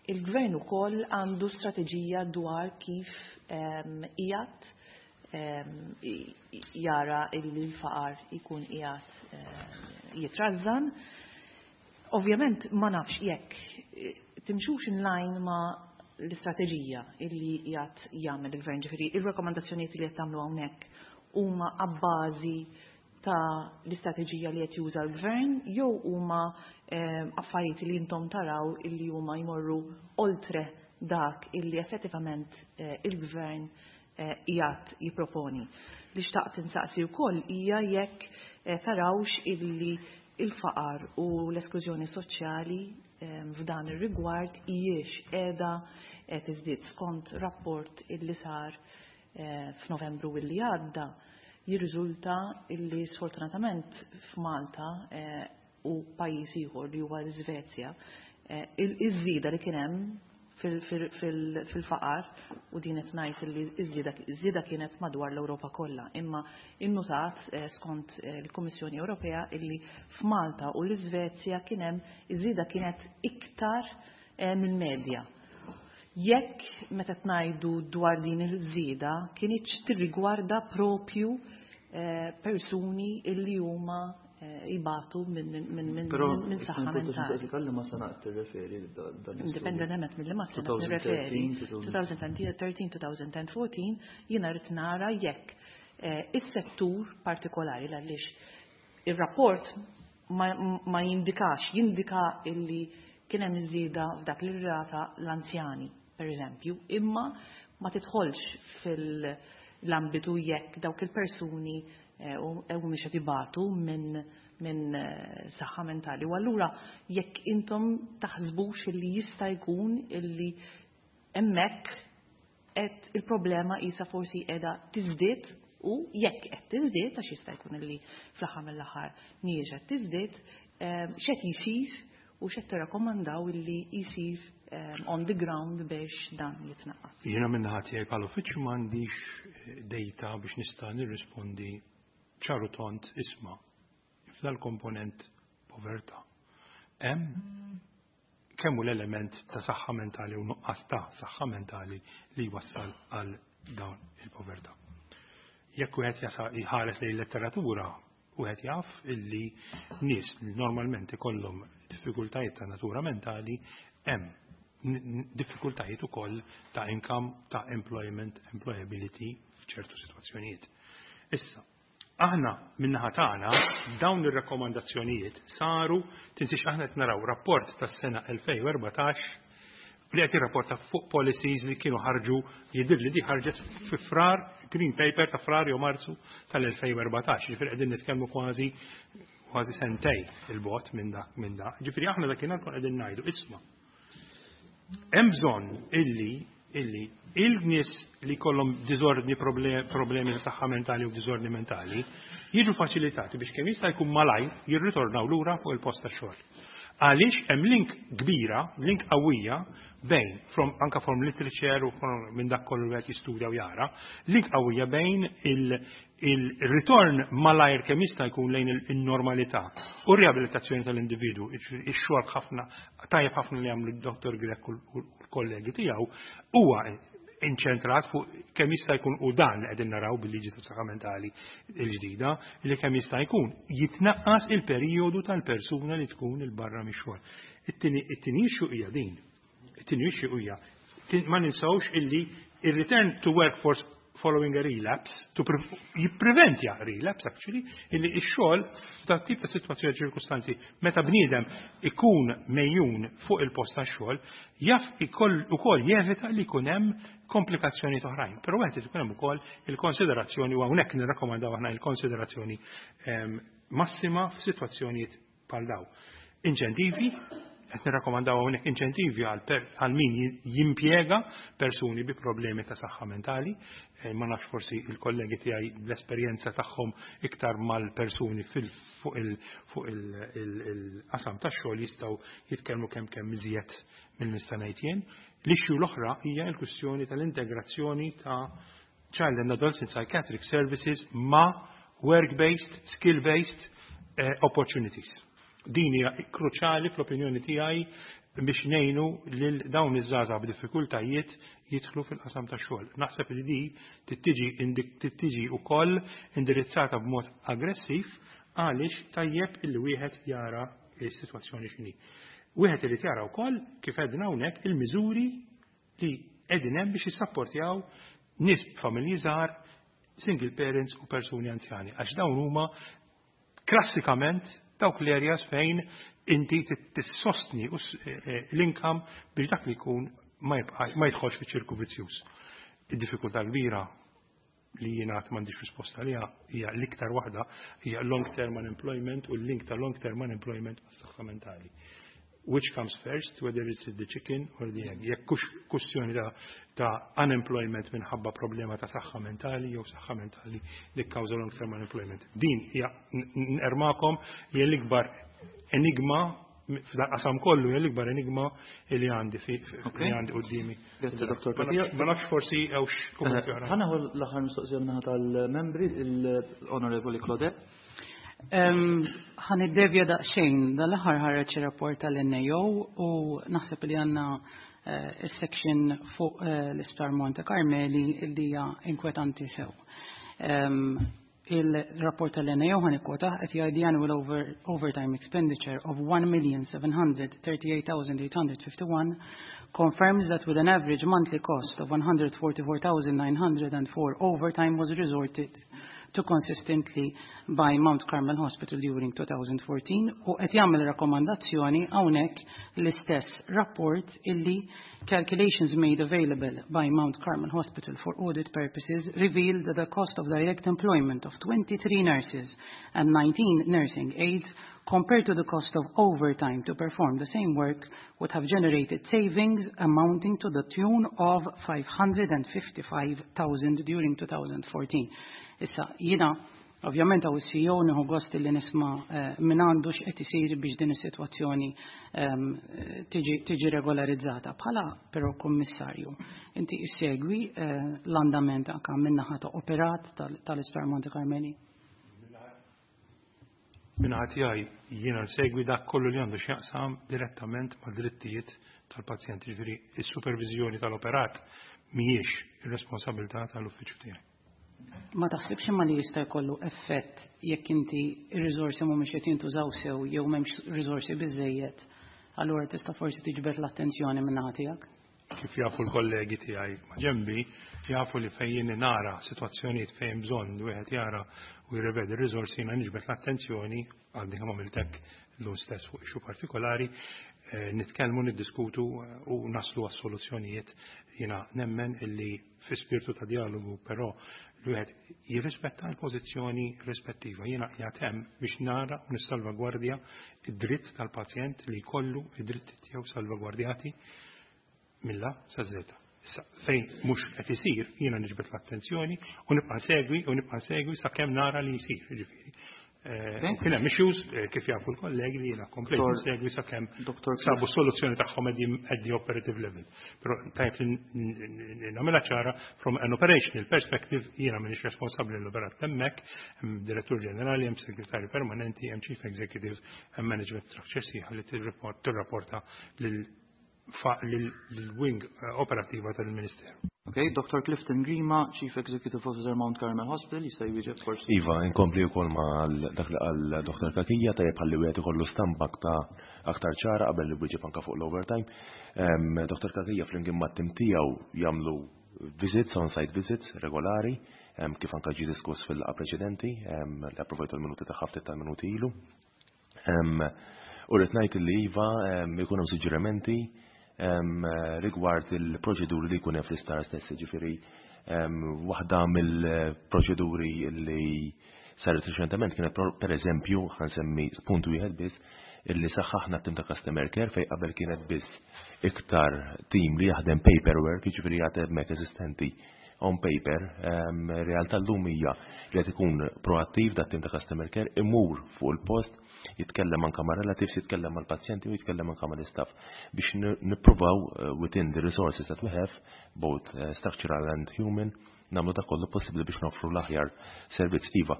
Il-gvern ukoll għandu strateġija dwar kif qiegħed jara illi l-faqar ikun qiegħed jitrażżan. Ovvjament ma nafx jekk timxux in line ma l-istrateġija illi qiegħed jagħmel il-gvern, ġifieri il-rakkomandazzjonijiet li qed tagħmlu hawnhekk huma abbażi ta' l-istrateġija li qed juża l-gvern jew huma affarijiet li intom taraw illi huma jmorru oltre dak illi effettivament il-gvern qiegħed jipproponi. Li xtaqt insaqsi wkoll hija jekk tarawx illi il-faqar u l-esklużjoni soċjali f'dan ir-rigward hijiex qiegħda tiżdied skont rapport illi sar f'Novembru illi għadda. Jirriżulta illi sfortunatament f'Malta u pajjiż ieħor li huwa l-Iżvezja, iż-żieda li kien hemm fil-faqar, u din qed ngħid li iż-żieda kienet madwar l-Ewropa kollha, imma innutat skont l-Kummissjoni Ewropea illi f'Malta u l-Iżvezja kien hemm iż-żieda kienet iktar minn medja. Jekk meta ngħidu dwar din il-żieda kienx tirrigwarda propju persuni illi huma jibatu Però minn saħħa mentali. Kalli ma sena tirreferi dan Indipendentement mill ma sena tirreferi, 2013, 2014, jiena rrid nara jekk is-settur partikolari, għaliex ir-rapport ma jindikax, jindika illi kien hemm iż-żieda f'dak li rata l-anzjani, per eżempju, imma ma tidħolx fil-ambitu jekk dawk il-persuni u mhumiex qed ibatu minn saħħa mentali. U allura jekk intom taħsbux illi jista' jkun illi hemmhekk qed il-problema isa forsi qiegħda tiżdied, u jekk qed tiżdied, għax jista' jkun illi fl-aħħar mill-aħħar mhijiex qed tiżdied, x'qed jsir u x'qed tirrakkomandaw illi jsir on the ground biex dan jitnaqqas. Jiena min-naħa tiegħi bħala uffiċċju m'għandix data biex nista' nirrispondi ċar u tond, isma', f'dal-komponent povertà hemm kemm hu l-element ta' saħħa mentali u nuqqas ta' saħħa mentali li jwassal għal dawn il-povertà. Jekk wieħed jasa jħares lejn letteratura, wieħed jaf illi nies li normalment ikollhom diffikultajiet ta' natura mentali hemm diffikultajiet ukoll ta' income, ta' employment, employability f'ċertu sitwazzjonijiet. Issa, aħna min-naħa tagħna dawn ir-rakkomandazzjonijiet saru, tinsiex aħna qed naraw rapport tas-sena 2014 li qed jirrapporta fuq policies li kienu ħarġu, jidhir li di ħarġet fi Frar, Green Paper ta' Frar jew Marzu tal-2014, ġifieri qegħdin nitkellmu kważi kważi sentej il-bot minn dak minn dak. Ġifieri aħna dakinhar kon qegħdin ngħidu, isma', hemm bżonn illi il-nies li kollhom diżordni, problemi ta' saħħa mentali u diżordni mentali jiġu faċilitati biex kemm jista' jkun malajr jirritornaw lura fuq il-post tax-xogħol. Għaliex hemm link kbira, link qawwija bejn, from, anka from literature u minn dak kollu li qed jistudja u jara, link qawwija bejn il-ritorn malajr kemm jista' jkun lejn il-normalità u r-riabilitazzjoni tal-individu. Ix-xogħol ħafna tajjeb ħafna li għamlu d-Dr. Grech u l-kollegi tiegħu huwa inċentrat fuq kemm jista' jkun, u dan li qegħdin naraw bil-liġi tas saħħa mentali l-ġdida, li kemm jista' jkun jitnaqqas il-perjodu tal-persuna li tkun il-barra mix-xogħol. It-tieni issue hija din. It-tieni issue hija ma ninsawx illi il-return to workforce following a relapse, to jippreventja relapse actually, illi x-xogħol f'dat tip ta' sitwazzjoni, ċirkustanzi, meta bniedem ikun mejjun fuq il-post tax-xogħol, jaf ukoll jevita li jkun hemm komplikazzjoni oħrajn. Però wieħed ikun hemm ukoll il-konsiderazzjoni, u hawnhekk nirrakkomandaw aħna il-konsiderazzjoni massima f'sitwazzjonijiet bħal daw. Inċentivi, qed nirrakkomandaw hawnhekk inċentivi għal min jimpjega persuni bi problemi ta' saħħa mentali. Ma nafx, forsi il-kollegi tiegħi bl-esperjenza tagħhom iktar mal-persuni fuq il-qasam tax-xogħol jistgħu jitkellmu kemm kemm iżjed minn nista' ngħid jien. L-issue l-oħra hija l-kwistjoni tal-integrazzjoni ta' Child and Adolescent Psychiatric Services ma' work-based, skill-based opportunities. Din hija kruċjali fl-opinjoni tiegħi biex ngħinu lil dawn iż-żgħażagħ b'diffikultajiet jidħlu fil-qasam tax-xogħol. Naħseb li di tittiġi wkoll indirizzata b'mod aggressiv għaliex tajjeb illi wieħed jara s-sitwazzjoni x'inhi. Wieħed irid jara wkoll, kif għedna hawnhekk, il-miżuri li qegħdin hemm biex jissapportjaw nies b'familji żgħar, single parents u persuni anzjani, għax dawn huma klassikament dawk l-areas fejn inti tissostni l-income biex dak li jkun ma jidħolx fi ċirku vizzjuż. Id-diffikultà kbira li jiena m'għandix risposta li hija l-iktar waħda hija long term unemployment u l-link ta' long term unemployment mas-saħħa mentali. Which comes first, whether it's the chicken or the egg? Jekk kwestjoni ta' unemployment minħabba problema ta' saħħa mentali jew saħħa mentali li kkawża long term unemployment. Din hija, nermakom, hija l-ikbar enigma f'dan qasam kollu, hija l-ikbar enigma li għandi li għandi quddiemi. Grazzi, Dr. Ma nafx forsi hawnx kummenti oħra. Ħa nieħu l-aħħar mistoqsija min-naħa tal-membri, l-Onorevoli Claudette. Ħa niddevja daqsxejn, dal-aħħar ħareġ rapport tal-NAO u naħseb li għandna il-section fuq l-Isptar Monte Carmeli li hija inkwetanti sew. Il-rapport tal-NAO, ħa nikkwota, qed jgħid the annual overtime expenditure of 1,738,851 confirms that with an average monthly cost of 144,904, overtime was resorted to consistently by Mount Carmel Hospital during 2014. U qed jagħmel rakkomandazzjoni hawnhekk l-istess rapport illi calculations made available by Mount Carmel Hospital for audit purposes revealed that the cost of direct employment of 23 nurses and 19 nursing aides compared to the cost of overtime to perform the same work would have generated savings amounting to the tune of 555,000 during 2014. Issa, jiena, Ovvjament hawn is-CEO, nieħu gost li nisma' minn għandu x'qed isir biex din is-sitwazzjoni tiġi regolarizzata. Bħala però kummissarju, inti issegwi l-andament anke min-naħa ta' operat tal-Isptar Monte Carmeli? Min-naħa tiegħi jiena nsegwi dak kollu li għandu x'jaqsam direttament ma' drittijiet tal-pazjent, ġifieri is-superviżjoni tal-operat mhijiex ir-responsabilità tal-uffiċċju tiegħi. Ma taħsibx imma li jista' jkollu effett jekk inti ir-riżorsi mhumiex qed jintużaw sew jew m'hemmx riżorsi biżejjed, allura tista' forsi tiġbed l-attenzjoni min-naħa tiegħek? Kif jafu l-kollegi tiegħi ma' ġembi, jafu li fejn jien nara sitwazzjonijiet fejn bżonn li wieħed jara u jirrevedi r-riżorsi, jiena niġbed l-attenzjoni, għadni kemm għamilt hekk llum stess fuq issue partikolari, nitkellmu, niddiskutu u naslu għas soluzzjonijiet. Jiena nemmen illi fi spirtu ta' dialogu, però li wieħed jirrispetta l-pożizzjoni rispettiva. Jiena qiegħed hemm biex nara u nissalvagwardja id-dritt tal-pazjent li jkollu id-dritt tiegħu salvagwardjati mill-A sa Z. Issa, fejn mhux qed isir, jiena niġbed l-attenzjoni u nibqa' nsegwi u nibqa' nsegwi sakemm nara li jsir, ġifieri. Kien hemm issues kif jafu l-kollegi li jiena komplejt nsegwi sakemm sabu soluzzjoni tagħhom at the operative level. Però tajb li nagħmilha ċara, from an operational perspective jiena m'iniex responsabbli l-operat hemmhekk, hemm direttur ġenerali, hemm segretarju permanenti, hemm chief executive, hemm management structure sħiħa li tirrapporta lil-wing operattiva tal-Ministeru. Ok, Dr. Clifton Grima, Chief Executive Officer, Mount Carmel Hospital, jista' jwieġeb forsi. Iva, inkompli wkoll ma' dak li qal Dr. Cachia, tajjeb ħalli wieħed ikollu stampa ta' aktar ċara qabel li wieġeb anke fuq l-overtime. Dr. Cachia flimkien mat-tim tiegħu jagħmlu visits, on-site visits regolari, kif anke ġie diskuss fil-laqgħa preċedenti, li approvajtu l-minuti ta' ftit tal-minuti ilu. U rrid ngħid li iva, ikun hemm suġġerimenti rigward il-proċeduri li jkun hemm fl-isptar stess, ġifieri waħda mill-proċeduri li saret reċentement kienet, per eżempju, ħa nsemmi punt wieħed biss, illi saħħaħna t-tim ta' customer care fej qabel kienet biss iktar tim li jaħdem paperwork, ġifieri jagħti hemmhekk eżistenti on paper, realtà llum hija li qed ikun proattiv dat tim ta' customer care, imur fuq il-post, jitkellem anka ma' relatives, jitkellem mal-pazjenti u jitkellem anka mal-istaff biex nippruvaw within the resources that we have, both structural and human, nagħmlu dak kollu possibbli biex noffru l-aħjar servizz. Iva,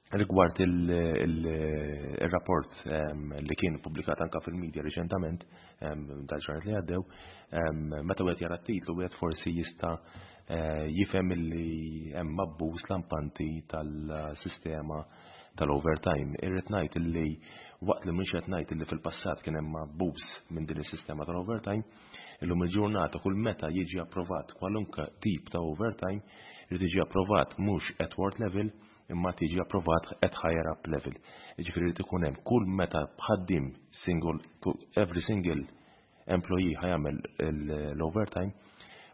rigward il-rapport li kien publikat anka fil-media reċentament, dal-ġranet li għaddew, meta wieħed jara t-titlu wieħed forsi jista' jifhem li hemm abbuż lampanti tal-sistema tal-overtime. Irrid ngħid illi waqt li mhux qed ngħid illi fil-passat kien hemm abbuż minn din is-sistema tal-overtime, illum il-ġurnata kull meta jiġi approvat kwalunkwe tip ta' overtime, irid jiġi approvat mhux at ward level, imma tiġi approvat at higher up level. Jiġifieri irid ikun hemm kull meta ħaddiem single, every single employee ħa jagħmel l-overtime,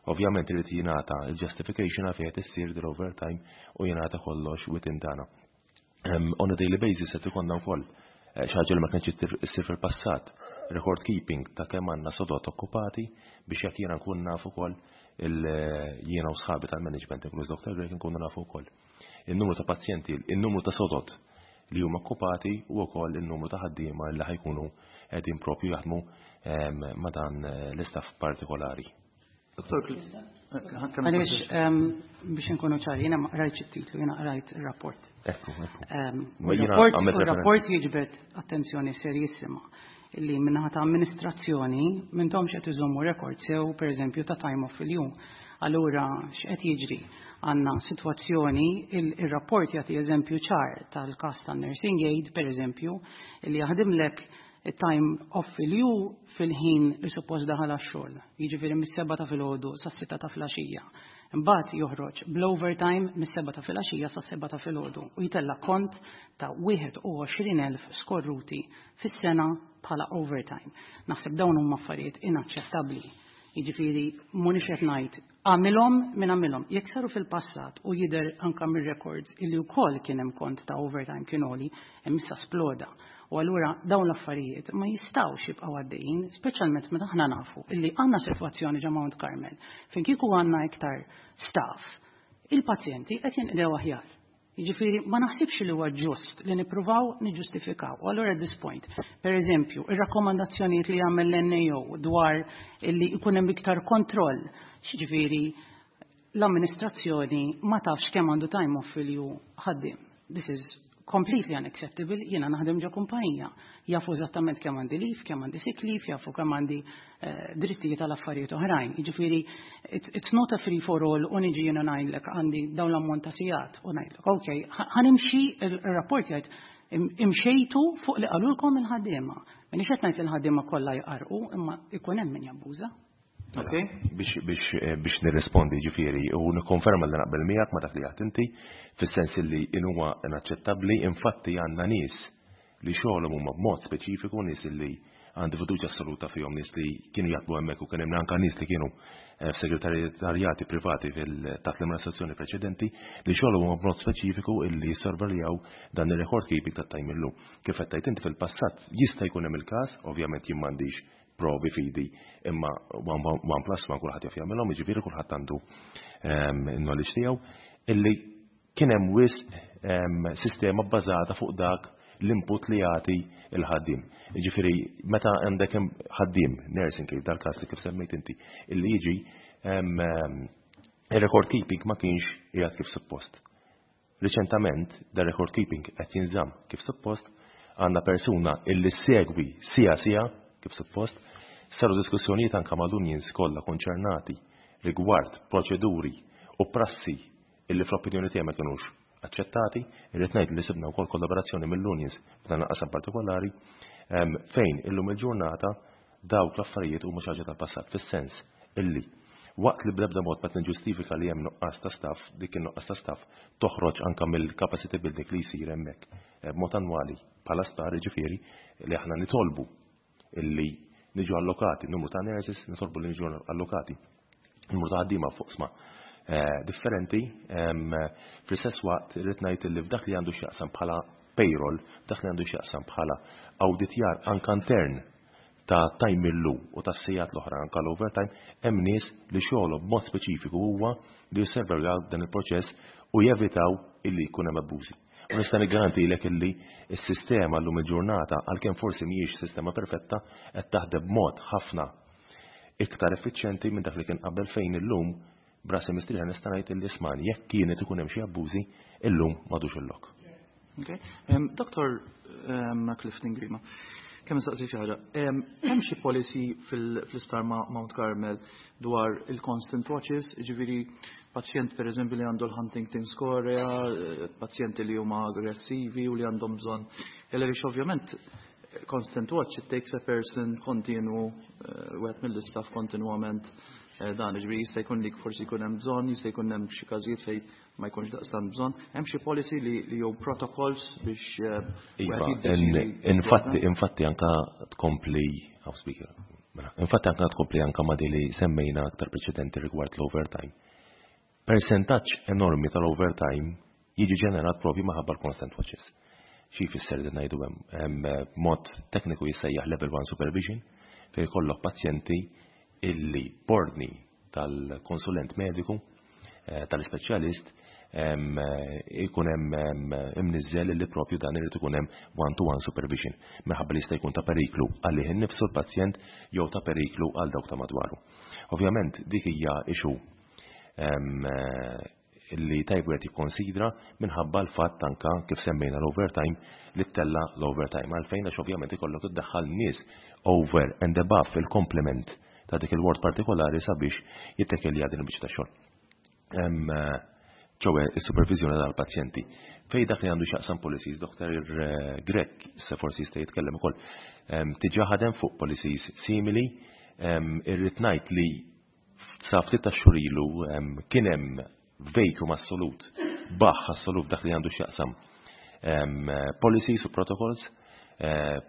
ovvjament irid jingħata il-justification għalfejn qed issir l-overtime u jingħata kollox within tagħna. On a daily basis qed ikollna wkoll xi ħaġa li ma kienx issir fil-passat, record keeping ta' kemm għandna sodot okkupati biex jekk jiena nkun naf ukoll jiena u sħabi tal-management, inkluż Dr. Grech, nkunu nafu wkoll il-numru ta' pazjenti, il-numru ta' sodot li huma okkupati u wkoll il-numru ta' ħaddiema li ħa jkunu qegħdin propju jaħdmu ma' dan l-istaff partikolari. Dottor, Għaliex, biex nkunu ċari, jiena ma qrajtx it-titlu, jiena qrajt ir-rapport. Ekku. Ma jiena għamilt referenza. Il-rapport jiġbed attenzjoni serjissima illi min-naħa ta' amministrazzjoni m'intomx qed iżommu rekord sew, per eżempju, ta' time off fil-jum. Allura, x'qed jiġri? Għandna sitwazzjoni, il-rapport jagħti eżempju ċar tal-każ ta' nursing aid, per eżempju, illi jaħdimlek time off fil-jum fil-ħin li suppost daħal għax-xogħol. Jiġifieri mis-7 ta' filgħodu sas-6 ta' filgħaxija. Imbagħad joħroġ bl-overtime mis-7 ta' filgħaxija sas-7 ta' filgħodu u jtella' kont ta' 21,000 skorruti fis-sena bħala overtime. Naħseb dawn huma affarijiet inaċċettabbli. Jiġifieri mhux qed ngħid għamilhom minn għamilhom. Jekk saru fil-passat u jidher anka mir-records illi wkoll kien hemm kont ta' overtime kien għoli, hemm issa sploda. U allura dawn l-affarijiet ma jistgħux jibqgħu għaddejjin, speċjalment meta aħna nafu illi għandna sitwazzjoni ġo Mount Carmel fejn kieku għandna iktar staff, il-pazjenti qed jinqdew aħjar. Jiġifieri ma naħsibx li huwa ġust li nippruvaw niġġustifikaw. U allura at this point, per eżempju, ir-rakkomandazzjonijiet li jagħmel l-NAO dwar li jkun hemm iktar kontroll, jiġifieri l-amministrazzjoni ma tafx kemm għandu time off fil-ju ħaddiem. This is completely unacceptable, jiena naħdem ġo kumpanija. Jafu eżattament kemm għandi leave, kemm għandi sick leave, jafu kemm għandi drittijiet għal affarijiet oħrajn. Jiġifieri it's not a free for all u niġi jiena ngħidlek għandi dawn l-ammont ta' sigħat u ngħidlek, ok, ħa nimxi il-rapport jgħid imxejtu fuq li qalulkom il-ħaddiema. M'iniex qed ngħid li l-ħaddiema kollha jqarqu, imma ikun hemm min jabbuża. Okay. Biex nirrispondi ġifieri u nikkonferma li naqbel miegħek ma dak li għedt inti, fis-sens li huwa inaċċettabbli, infatti għandna nies li xogħolhom huma b'mod speċifiku, nies li għandi fiduċja assoluta fihom, nies li kienu jaħdmu hemmhekk u kien hemm anke nies li kienu f'segretarjati privati taħt l-amministrazzjoni preċedenti li xogħolhom huma b'mod speċifiku illi jissorveljaw dan ir-record keeping tat-time illum. Kif qed tgħid inti fil-passat jista' jkun hemm il-każ, ovvjament jien m'għandix provi fidi, imma one plus one kulħadd jaf jagħmilhom, jiġifieri kulħadd għandu il-knowledge tiegħu, illi kien hemm wisq sistema bbażata fuq dak l-input li jagħti il-ħaddiem. Jiġifieri meta għandek ħaddiem nursing kif dal-każ li kif semmejt inti, illi jiġi il-record keeping ma kienx qiegħed kif suppost. Riċentament, da record keeping qed jinżamm kif suppost, għandna persuna illi segwi sija sija kif suppost, saru diskussjonijiet anka mal-unions kollha konċernati rigward proċeduri u prassi illi fl-opinjoni tiegħi ma kinux aċċettati, irrid ngħid li sibna wkoll kollaborazzjoni mill-unions f'dan il-qasam partikolari, fejn illum il-ġurnata dawk l-affarijiet huma xi ħaġa tal-passat, fis-sens illi waqt li bl-ebda mod ma tinġustifika li hemm nuqqas ta' staff, dik in-nuqqas ta' staff toħroġ anka mill-capacity building li jsir hemmhekk b'mod annwali bħala sptar, jiġifieri li aħna nitolbu illi niġu allokati numru ta' nurses, nitolbu li niġu allokati numru ta' ħaddiema fuq sma differenti, fl-istess waqt irrid ngħid li f'dak li għandu x'jaqsam bħala payroll, f'dak li għandu x'jaqsam bħala awditjar anka intern ta' time illu u ta' sigħat l-oħra anka l-overtime, hemm nies li xogħolhom b'mod speċifiku huwa li josservaw dan il-proċess u jevitaw illi jkun hemm abbużi. U nista' niggarantilek illi s-sistema llum il-ġurnata, għalkemm forsi mhijiex sistema perfetta, qed taħdem b'mod ħafna iktar effiċjenti minn dak li kien qabel, fejn illum brasi mistrieħa nista' ngħid illi ismani jekk kienet ikun hemm xi abbużi, illum m'għadux il-lok. Okay. Dr. Clifton Grima, kemm nistaqsi xi ħaġa. Hemm xi policy fl-isptar Mount Carmel dwar il-constant watches, jiġifieri pazjent per eżempju li għandu l-Huntington's chorea, pazjenti li huma aggressivi u li għandhom bżonn. Għaliex ovvjament constant watch, it takes a person continu, wieħed mill-istaff kontinwament dan, jiġifieri jista' jkun li forsi jkun hemm bżonn, jista' jkun hemm xi każijiet fejn ma jkunx daqstant bżonn. Hemm xi policy li jew protocols biex Iva, wieħed jiddeċiedi infatti anka tkompli, oh, speaker, mela, infatti anka tkompli anka ma li semmejna aktar preċedenti rigward l-overtime. Percentaġġ enormi tal-overtime jiġi ġenerat propju maħabba l-constant watches. Xi jfisser li ngħidu hemm, hemm mod tekniku jissejjaħ level 1 supervision fejn jkollok pazjenti illi b'ordni tal-konsulent mediku, tal-ispeċjalist, ikun hemm imniżżel li propju dan irid ikun hemm one-to-one supervision minħabba li jista' jkun ta' periklu għalih innifsu l-pazjent jew ta' periklu għal dawk ta' madwaru. Ovvjament dik hija issue li tajb wieħed jikkonsidra minħabba l-fatt anka kif semmejna l-overtime li ttella l-overtime għalfejn, għax ovvjament ikollok iddaħħal nies over and above il-complement ta' dik il-ward partikolari sabiex jittekelja din il-biċċa ta' xogħol. Ċowe is-supervizjoni tal-pazjenti. Fej dak li għandu x'jaqsam policies, Dr. Grech se forsi jista' jitkellem ukoll, diġà ħadem fuq policies simili, irrid ngħid li sa ftit ta' xhur ilu kien hemm vacuum assolut, baħ assolut dak li għandu x'jaqsam policies u protocols,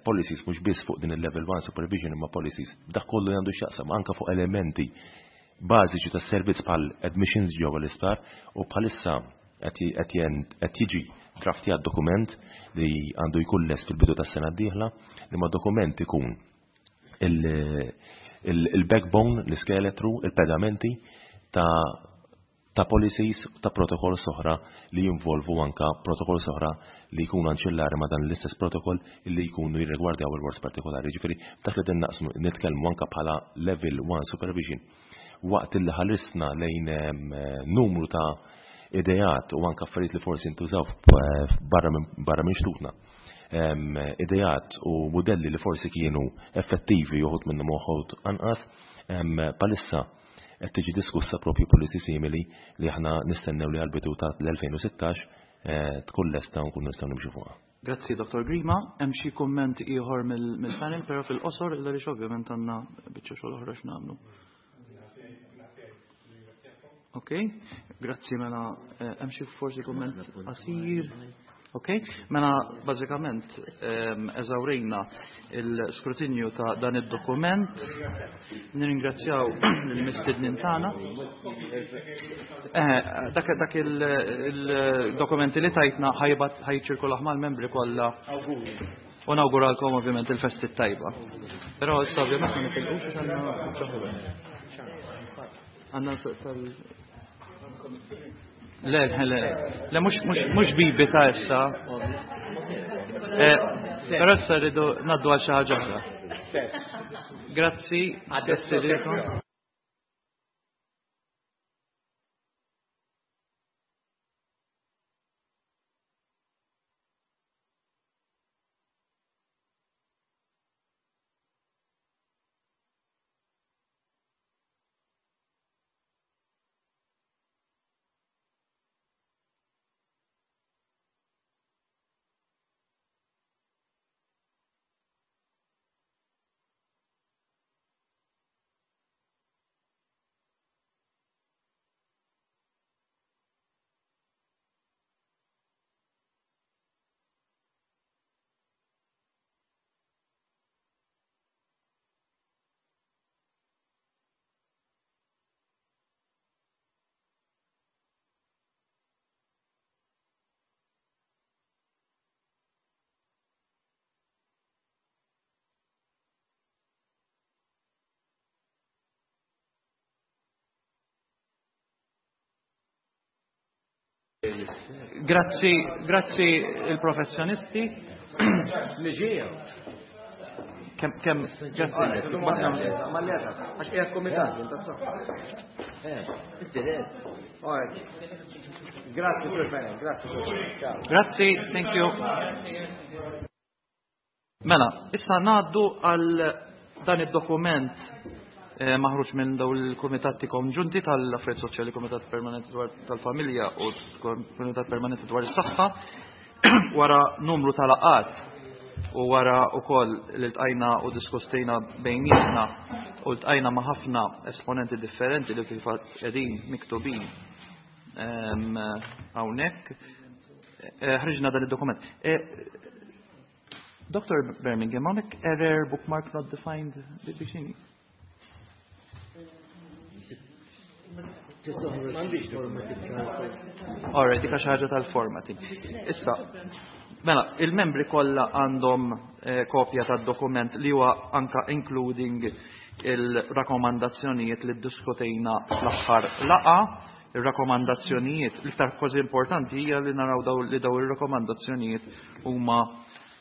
policies mhux biss fuq din il-level 1 supervision imma policies dak kollu li għandu x'jaqsam anka fuq elementi bażiċi tas servizz bħal admissions ġewwa l-isptar, u bħalissa qed jiġi draftjat dokument li għandu jkun lest fil-bidu tas-sena d-dieħla, li ma dokument ikun il-backbone, l-iskeletru, il-pedamenti ta' ta' policies ta' protokolls oħra li jinvolvu anka protokolls oħra li jkunu anċillari ma' dan l-istess protokoll li jkunu jirrigwardjaw il-wards partikolari. Ġifieri dak li naqsmu nitkellmu anka bħala level 1 supervision. Waqt li ħarisna lejn numru ta' ideat u anka affarijiet li forsi ntużaw barra minn xtutna. Ideat u modelli li forsi kienu effettivi uħud minnhom uħud anqas, palissa qed tiġi diskussa propju policy simili li aħna nistennew li għal-bidu ta' l-2016 tkun lesta u nkunu nistgħu nimxu fuqha. Grazzi, Dr. Grima. Hemm xi kumment ieħor mill-panel, però fil-qosor illa li ovvjament għandna biċċa xogħol oħra x'nagħmlu. Ok, grazzi mela hemm xi forsi kumment qasir. Ok, mela bażikament eżawrejna il-skrutinju ta' dan id-dokument. Nirringrazzjaw lill-mistednin tagħna. Dak il-dokumenti li tajtna ħajbat ħajċirkulaħ mal-membri kollha. U nawguralkom ovvjament il-festi tajba. Però issa ovvjament ma nitilqux għax għandna għandna tal Le, le, le, mhux bibi ta' issa. Però issa rridu ngħaddu għal xi ħaġa oħra. Grazzi, grazzi lilkom. Grazzi, grazzi il-professjonisti. Niġija. Kem, kem, grazzi. Għax qiegħed komitat, Grazzi, Sur Fenech, grazzi, Sur Fenech. Grazzi, thank you. Mela, issa ngħaddu għal dan id-dokument maħruġ minn daw il-Kumitati Konġunti tal-Affarijiet Soċjali, Kumitat Permanenti dwar tal-Familja u Kumitat Permanenti dwar is-Saħħa, wara numru ta' laqgħat u wara wkoll li ltqajna u diskustejna bejnietna u ltqajna ma' ħafna esponenti differenti li fil-fatt qegħdin miktubin hawnhekk, ħriġna dan id-dokument. Dr. Birmingham, hawnhekk error bookmark not defined biex x'inhi? All right, dik xi ħaġa tal-formatting. Issa, mela, il-membri kollha għandhom kopja tad-dokument li huwa anka including il-rakkomandazzjonijiet li ddiskutejna fl-aħħar laqgħa. Il-rakkomandazzjonijiet, l-iktar kważi importanti hija li naraw daw li daw ir-rakkomandazzjonijiet huma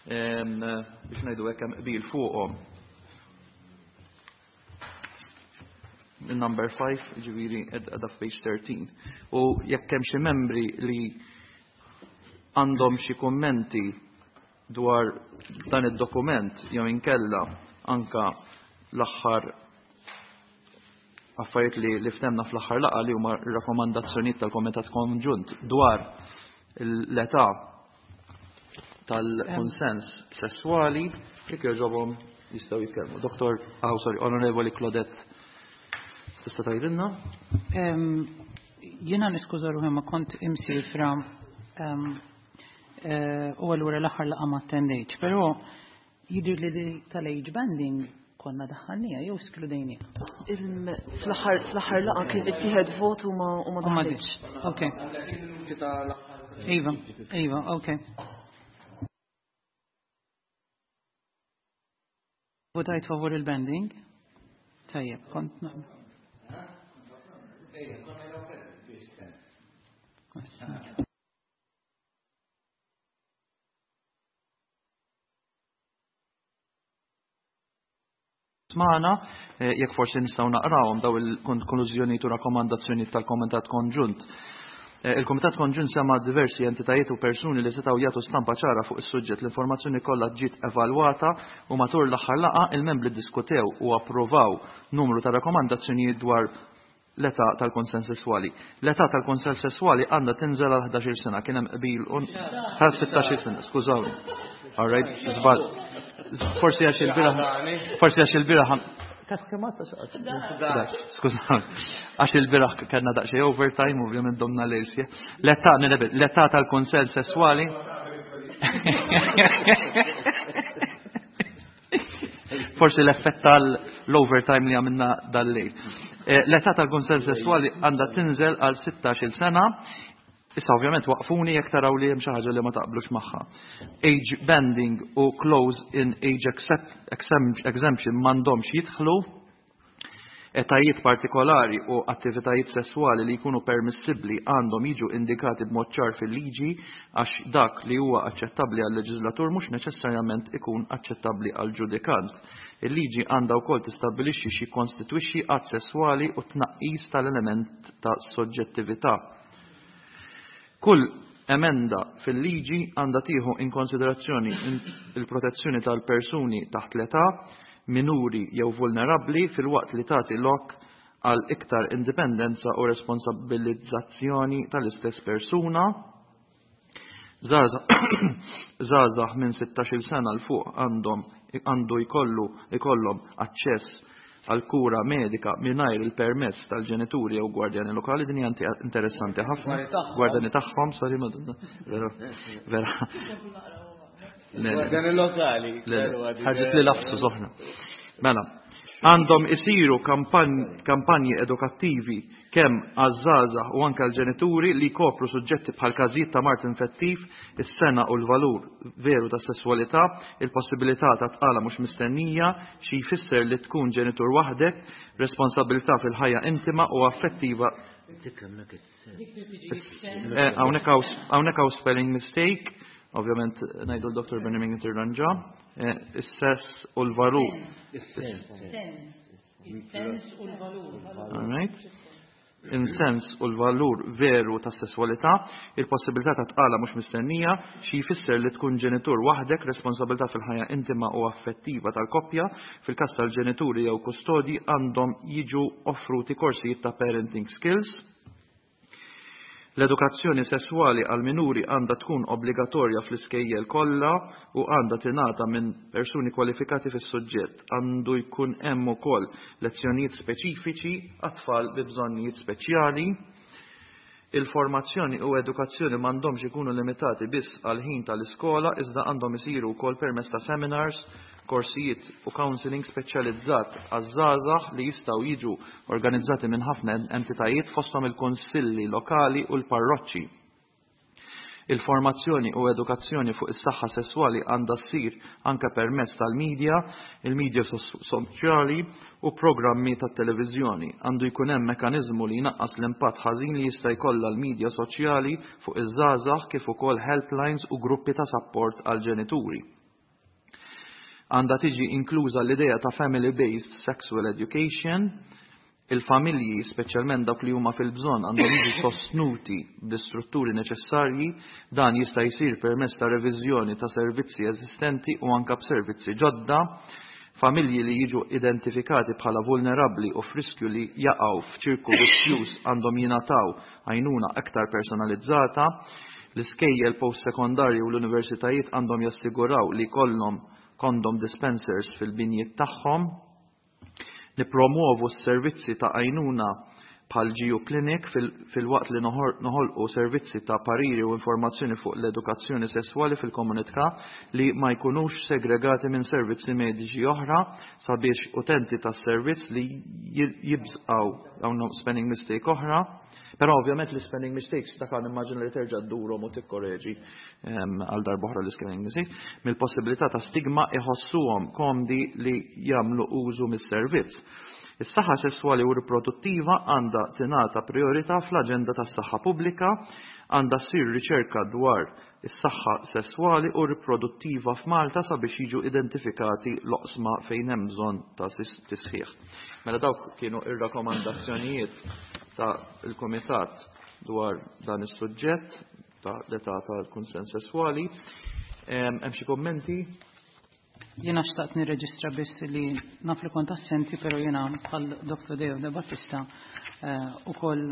biex ngħidu hekk hemm qbil fuqhom. Il-number 5, ġifieri qiegħda f'page 13. U jekk hemm xi membri li għandhom xi kummenti dwar dan id-dokument jew inkella anka l-aħħar affarijiet li ftemna fl-aħħar laqgħa li huma r-rakkomandazzjonijiet tal-Komitat Konġunt dwar l-età tal-konsens sesswali, jekk jogħġobhom jistgħu jitkellmu. Doktor, oh, sorry, Onorevoli Claudette, tista' tgħidilna? Jiena niskuża ruħi ma kont imsifra u allura l-aħħar laqgħa ma attendejtx, però jidher li tal-age banding konna daħħalnija jew skludejnija. Fl-aħħar laqgħa kien ittieħed vot u ma daħħalx. Ok. Iva, iva, ok. Votajt favur il-banding? Tajjeb, kont naqbel. magħna, jekk forsi nistgħu naqrawhom daw il-konklużjonijiet u rakkomandazzjonijiet tal-Komitat Konġunt. Il-Komitat Konġunt sema diversi entitajiet u persuni li setgħu jagħtu stampa ċara fuq is-suġġett. L-informazzjoni kollha ġiet evalwata u matul l-aħħar laqgħa il-membri ddiskutew u approvaw numru ta' rakkomandazzjonijiet dwar l-età tal-konsens sesswali. L-età tal-konsens sesswali għandha tinżel għal 11 sena, kien hemm qbil tal 16 sena, skużawni. All right, żball. Forsi għax il-bieraħ forsi għax il-bieraħ Skużawni. Għax il-bieraħ kellna daqsxejn overtime, ovvjament domna lejl sieħ. L-età l-età tal-konsens sesswali Forsi l-effett tal-overtime li għamilna dal-lejl. L-età tal-konsens sesswali għandha tinżel għal 16-il sena. Issa ovvjament waqfuni jekk taraw li hemm xi ħaġa li ma taqblux magħha. Age banding u close in age exemption m'għandhomx jidħlu. Etajiet partikolari u attivitajiet sesswali li jkunu permissibbli għandhom jiġu indikati b'mod ċar fil-liġi għax dak li huwa aċċettabbli għal-leġislatur mhux neċessarjament ikun aċċettabbli għall-ġudikant. Il-liġi għandha wkoll tistabbilixxi x'jikkonstitwixxi att sesswali u tnaqqis tal-element ta' soġġettività. Kull emenda fil-liġi għandha tieħu in konsiderazzjoni il-protezzjoni tal-persuni taħt l-età, minuri jew vulnerabbli filwaqt li tagħti lok għal iktar indipendenza u responsabbilizzazzjoni tal-istess persuna. Żgħażagħ minn 16-il sena 'l fuq għandhom għandu jkollu ikollhom aċċess għal kura medika mingħajr il-permess tal-ġenituri jew gwardjani lokali. Din hija interessanti ħafna. Gwardjani tagħhom, sorry, vera. Vera. Gwardjani lokali. Ħarġet li lafsu soħna. Mela, għandhom isiru kampanji edukattivi kemm għaż-żgħażagħ u anke għall-ġenituri li jkopru suġġetti bħal każijiet ta' mard infettiv, is-sena u l-valur veru tas-sesswalità, il-possibilità ta' tqala mhux mistennija, xi jfisser li tkun ġenitur waħdek, responsabilità fil-ħajja intima u affettiva. Hawnhekk hawn spelling mistake, ovvjament ngħidu l-Dr. Benjamin tirranġa, is-sess u l-valur. Is-sens u l-valur. All right. In-sens u l-valur veru tas sesswalità, il-possibilità ta' tqala mhux mistennija, xi jfisser li tkun ġenitur waħdek, responsabilità fil-ħajja intima u affettiva tal-koppja, fil-każ tal-ġenituri jew kustodji għandhom jiġu offruti korsijiet ta' parenting skills. L-edukazzjoni sesswali għal minuri għandha tkun obbligatorja fl-iskejjel kollha u għandha tingħata minn persuni kwalifikati fis-suġġett. Għandu jkun hemm ukoll lezzjonijiet speċifiċi għat-tfal bi bżonnijiet speċjali. Il-formazzjoni u edukazzjoni m'għandhomx ikunu limitati biss għal ħin tal-iskola iżda għandhom isiru wkoll permezz ta' seminars, korsijiet u counseling speċjalizzat għaż-żgħażagħ li jistgħu jiġu organizzati minn ħafna entitajiet fosthom il-kunsilli lokali u l-parroċċi. Il-formazzjoni u edukazzjoni fuq is-saħħa sesswali għandha ssir anke permezz tal-medja, il-medja soċjali u programmi tat-televiżjoni. Għandu jkun hemm mekkaniżmu li jnaqqas l-impatt ħażin li jista' jkollha l-medja soċjali fuq iż-żgħażagħ kif ukoll helplines u gruppi ta' sapport għall-ġenituri. Għandha tiġi inkluża l-idea ta' family-based sexual education. Il-familji, speċjalment dawk li huma fil-bżonn, għandhom jiġu sostnuti bl-istrutturi neċessarji. Dan jista' jsir permezz ta' reviżjoni ta' servizzi eżistenti u anke b'servizzi ġodda. Familji li jiġu identifikati bħala vulnerabbli u f'riskju li jaqgħu f'ċirku vizzjuż għandhom jingħataw għajnuna aktar personalizzata. L-iskejjel post-sekondarji u l-universitajiet għandhom jassiguraw li jkollhom condom dispensers fil-binjiet tagħhom. Nippromuovu s-servizzi ta' għajnuna bħal GU Clinic filwaqt li noħolqu servizzi ta' pariri u informazzjoni fuq l-edukazzjoni sesswali fil-komunità li ma jkunux segregati minn servizzi mediċi oħra sabiex utenti tas-servizz li jibżgħu hawn spelling mistake oħra. Però ovvjament l-spelling mistakes dak għan immaġina li terġa' ddurhom u tikkoreġi għal darb'oħra l-spelling mistakes, mill-possibilità ta' stigma iħossuhom komdi li jagħmlu użu mis-servizz. Is-saħħa sesswali u riproduttiva għandha tingħata prijorità fl-aġenda tas-saħħa pubblika, għandha ssir riċerka dwar is-saħħa sesswali u riproduttiva f'Malta sabiex jiġu identifikati l-oqsma fejn hemm bżonn ta' tisħiħ. Mela dawk kienu ir-rakkomandazzjonijiet ta' il-Kumitat dwar dan is-suġġett ta' l-età tal-kunsens sesswali. Hemm xi kummenti? Jiena xtaqt nirreġistra biss li naf li kont assenti, pero jiena bħal Dr. Deo De Battista ukoll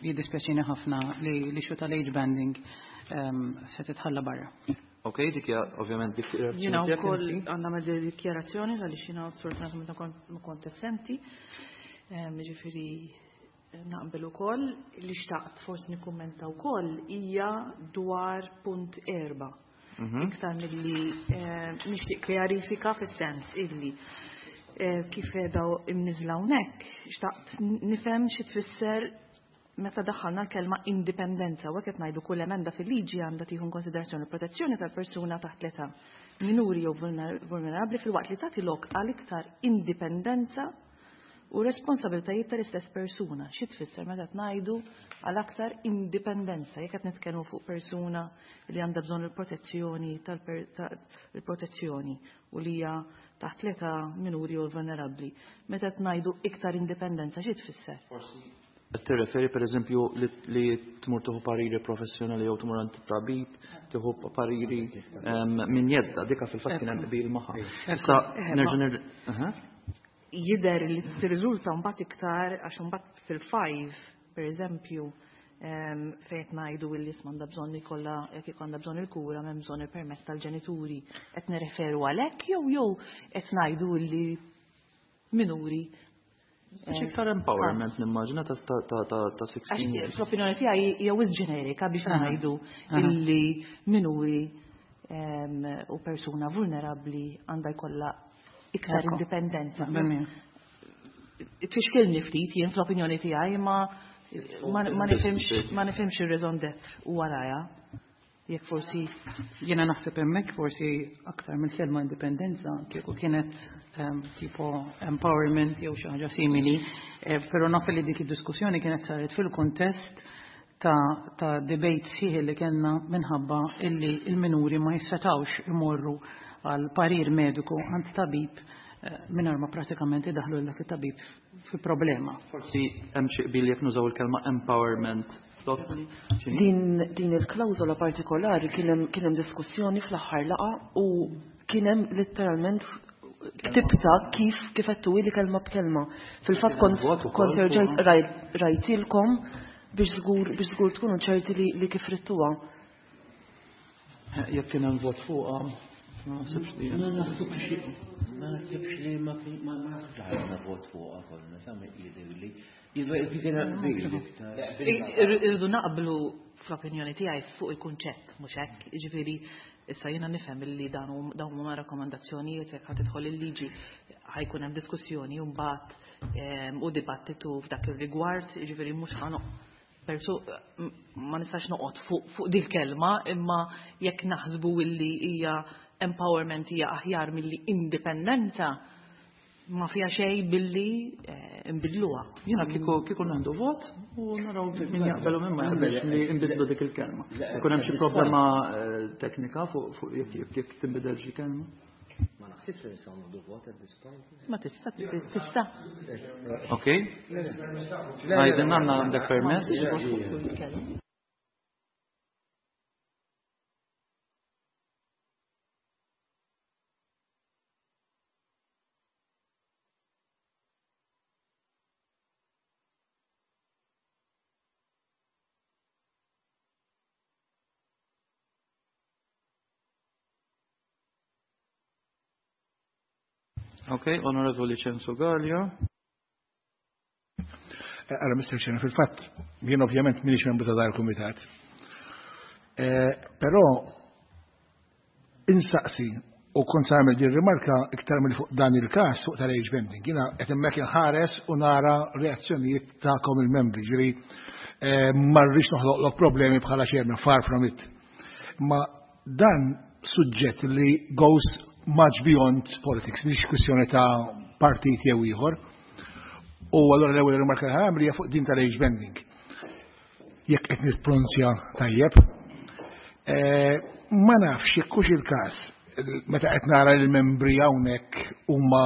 jiddispjaċini ħafna li l-issue tal-age banding se titħalla barra. Ok, dik hija ovvjament dik Jiena wkoll għandna nagħmel dikjarazzjoni għaliex jiena sfortunatament ma kont assenti. Jiġifieri naqbel ukoll li xtaqt forsi nikkummenta wkoll hija dwar punt 4. Iktar milli nixtieq kjarifika fis-sens illi kif qiegħda imniżla hawnhekk, xtaqt nifhem xi tfisser meta daħħalna l-kelma indipendenza u hekk qed ngħidu kull emenda fil-liġi għandha tieħu konsiderazzjoni l-protezzjoni tal-persuna taħt l-età minuri jew vulnerabbli filwaqt li tagħti lok għal iktar indipendenza u responsabiltajiet tal-istess persuna. Xi tfisser meta qed ngħidu għal aktar indipendenza jekk qed nitkellmu fuq persuna li għandha bżonn il-protezzjoni tal-protezzjoni u li hija taħt l-età minuri jew vulnerabbli. Meta qed ngħidu iktar indipendenza xi tfisser? Forsi qed tirreferi pereżempju li tmur tieħu pariri professjonali jew tmur għand tabib, tieħu pariri minn jedda, dika fil-fatt kien hemm qbil magħha. Issa nerġa' Jidher li tirriżulta mbagħad iktar għax mbagħad fil-5, pereżempju, fejn qed ngħidu li isma' għandha bżonn ikollha jekk għandha bżonn il-kura m'hemm bżonn il-permess tal-ġenituri, qed nirreferu għalhekk jew jew qed ngħidu li minuri. Għax iktar empowerment nimmaġina ta' 16 years. L-opinjoni tiegħi hija wisq ġenerika biex ngħidu illi minuri u persuna vulnerabbli għandha jkollha iktar indipendenza. Tfixkilni ftit jien fl-opinjoni tiegħi ma ma nifhimx ir-raison d'être u warajha. Jekk forsi jiena naħseb hemmhekk forsi aktar mill-kelma indipendenza kieku kienet tipo empowerment jew xi ħaġa simili, però naf li dik id-diskussjoni kienet saret fil-kuntest ta' debate sħiħ li kellna minħabba illi il-minuri ma jissetawx imorru għal parir mediku għand tabib mingħajr ma pratikament idaħlu dak it-tabib fi problema. Forsi hemm xi qbil jekk nużaw il-kelma empowerment. Din il-klawżola partikolari kien hemm diskussjoni fl-aħħar laqgħa u kien hemm letteralment ktibta kif kif qed li kelma b'kelma. Fil-fatt kont erġajt rajtilkom biex żgur tkunu ċerti li kif rittuha. Jekk kien hemm vot fuqha, ma naħsibx li. Ma naħsibx li ma naħsibx ħadna vot fuqha kollha, sa jidhirli. Irridu naqblu fl-opinjoni tiegħi fuq il-kunċett, mhux hekk, jiġifieri issa jiena nifhem li dan dawn huma rakkomandazzjonijiet jekk ħa tidħol il-liġi ħajkun hemm diskussjoni u mbagħad u dibattitu f'dak ir-rigward, jiġifieri mhux ħa ma nistax noqgħod fuq dil kelma, imma jekk naħsbu illi hija empowerment hija aħjar milli indipendenza, ma fija xej billi nbidluha. Jiena kieku għandu vot u naraw min jaqbelu minn ma jaqbelx li nbidlu dik il-kelma. Ikun hemm xi problema teknika fuq jekk tinbidel xi kelma. Ma naħsibx li nistgħu nieħdu vot at this point. Ma tista' tista'. Ok. Għajdin għandna għandek permess. Ok, Onorevoli Censu Galea. Għara, Mr. Chairman, fil-fatt, jien ovvjament minix membru ta' dar il-kumitat. Però insaqsi u kont sa nagħmel din rimarka iktar mill fuq dan il-każ fuq tal-age banding. Jiena qed hemmhekk inħares u nara reazzjonijiet tagħkom il-membri, ġifieri ma rridx noħloqlok problemi bħala chairman, far from it. Ma dan suġġett li goes much beyond politics, mhix kwistjoni ta' partit jew ieħor. U allura l-ewwel rimarka li ħa hija fuq din tal-age banding. Jekk qed nippronunzja tajjeb. Ma nafx jekk hux il-każ meta qed nara l-membri hawnhekk huma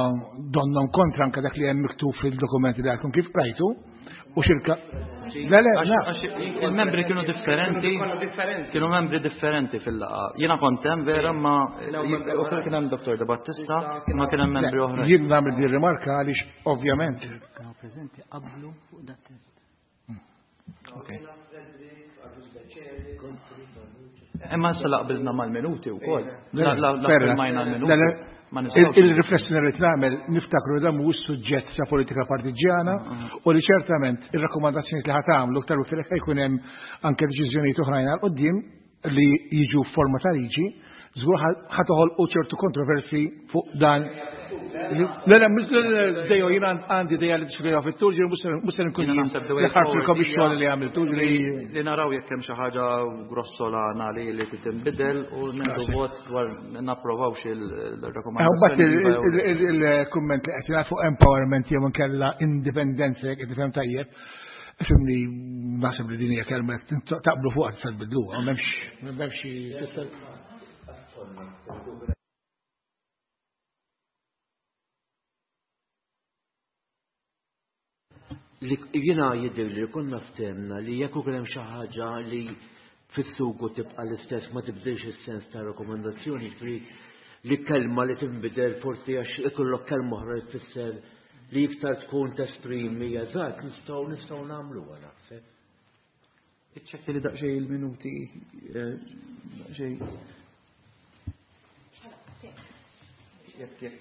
donnhom kontra anke dak li hemm miktub fil-dokumenti li għadkom kif qrajtu u xirka. Le, le, il-membri kienu differenti, kienu membri differenti fil-laqgħa. Jiena kont hemm vera ma u kien hemm Dr. De Battista, ma kien hemm membri oħra. Jien nagħmel din rimarka għaliex ovvjament. Kienu preżenti qablu fuq dat test. Okay. Imma issa laqbilna mal-minuti wkoll. La firmajna l-minuti. Il-riflessjoni li nagħmel niftakru dan mhuwiex suġġett ta' politika partiġjana u li ċertament ir-rakkomandazzjoni li ħa tagħmlu aktar u iktar jkun hemm anke deċiżjonijiet oħrajn għal quddiem li jiġu f'forma ta' liġi, żgur ħa toħolqu ċertu kontroversi fuq dan. Le, le, le, dejo, jien għandi ideja li diskutejha fit-tul, ġifieri mhux se nkun jien li ħarfilkom ix-xogħol li għamiltu, li naraw jekk hemm xi ħaġa grossolana li li tinbidel u nieħdu vot dwar napprovawx il-rakkomandazzjoni. Mbagħad il-kumment li qed jingħad fuq empowerment jew inkella indipendenza jekk qed tifhem tajjeb. Fimni, naħseb li din hija kelma jekk taqblu fuqha tista' tbiddluha, m'hemmx m'hemmx tista' Li jiena jidher li konna ftehmna li jekk ukoll hemm xi ħaġa li fis-sugu tibqa' l-istess ma tibdilx is-sens ta' rakkomandazzjoni, ġifieri li kelma li tinbidel forsi għax ikollok kelma oħra li tfisser li iktar tkun tesprimi eżatt nistgħu nistgħu nagħmluha naħseb. Iċċekkja li daqsxejn il-minuti daqsxejn. Jekk jekk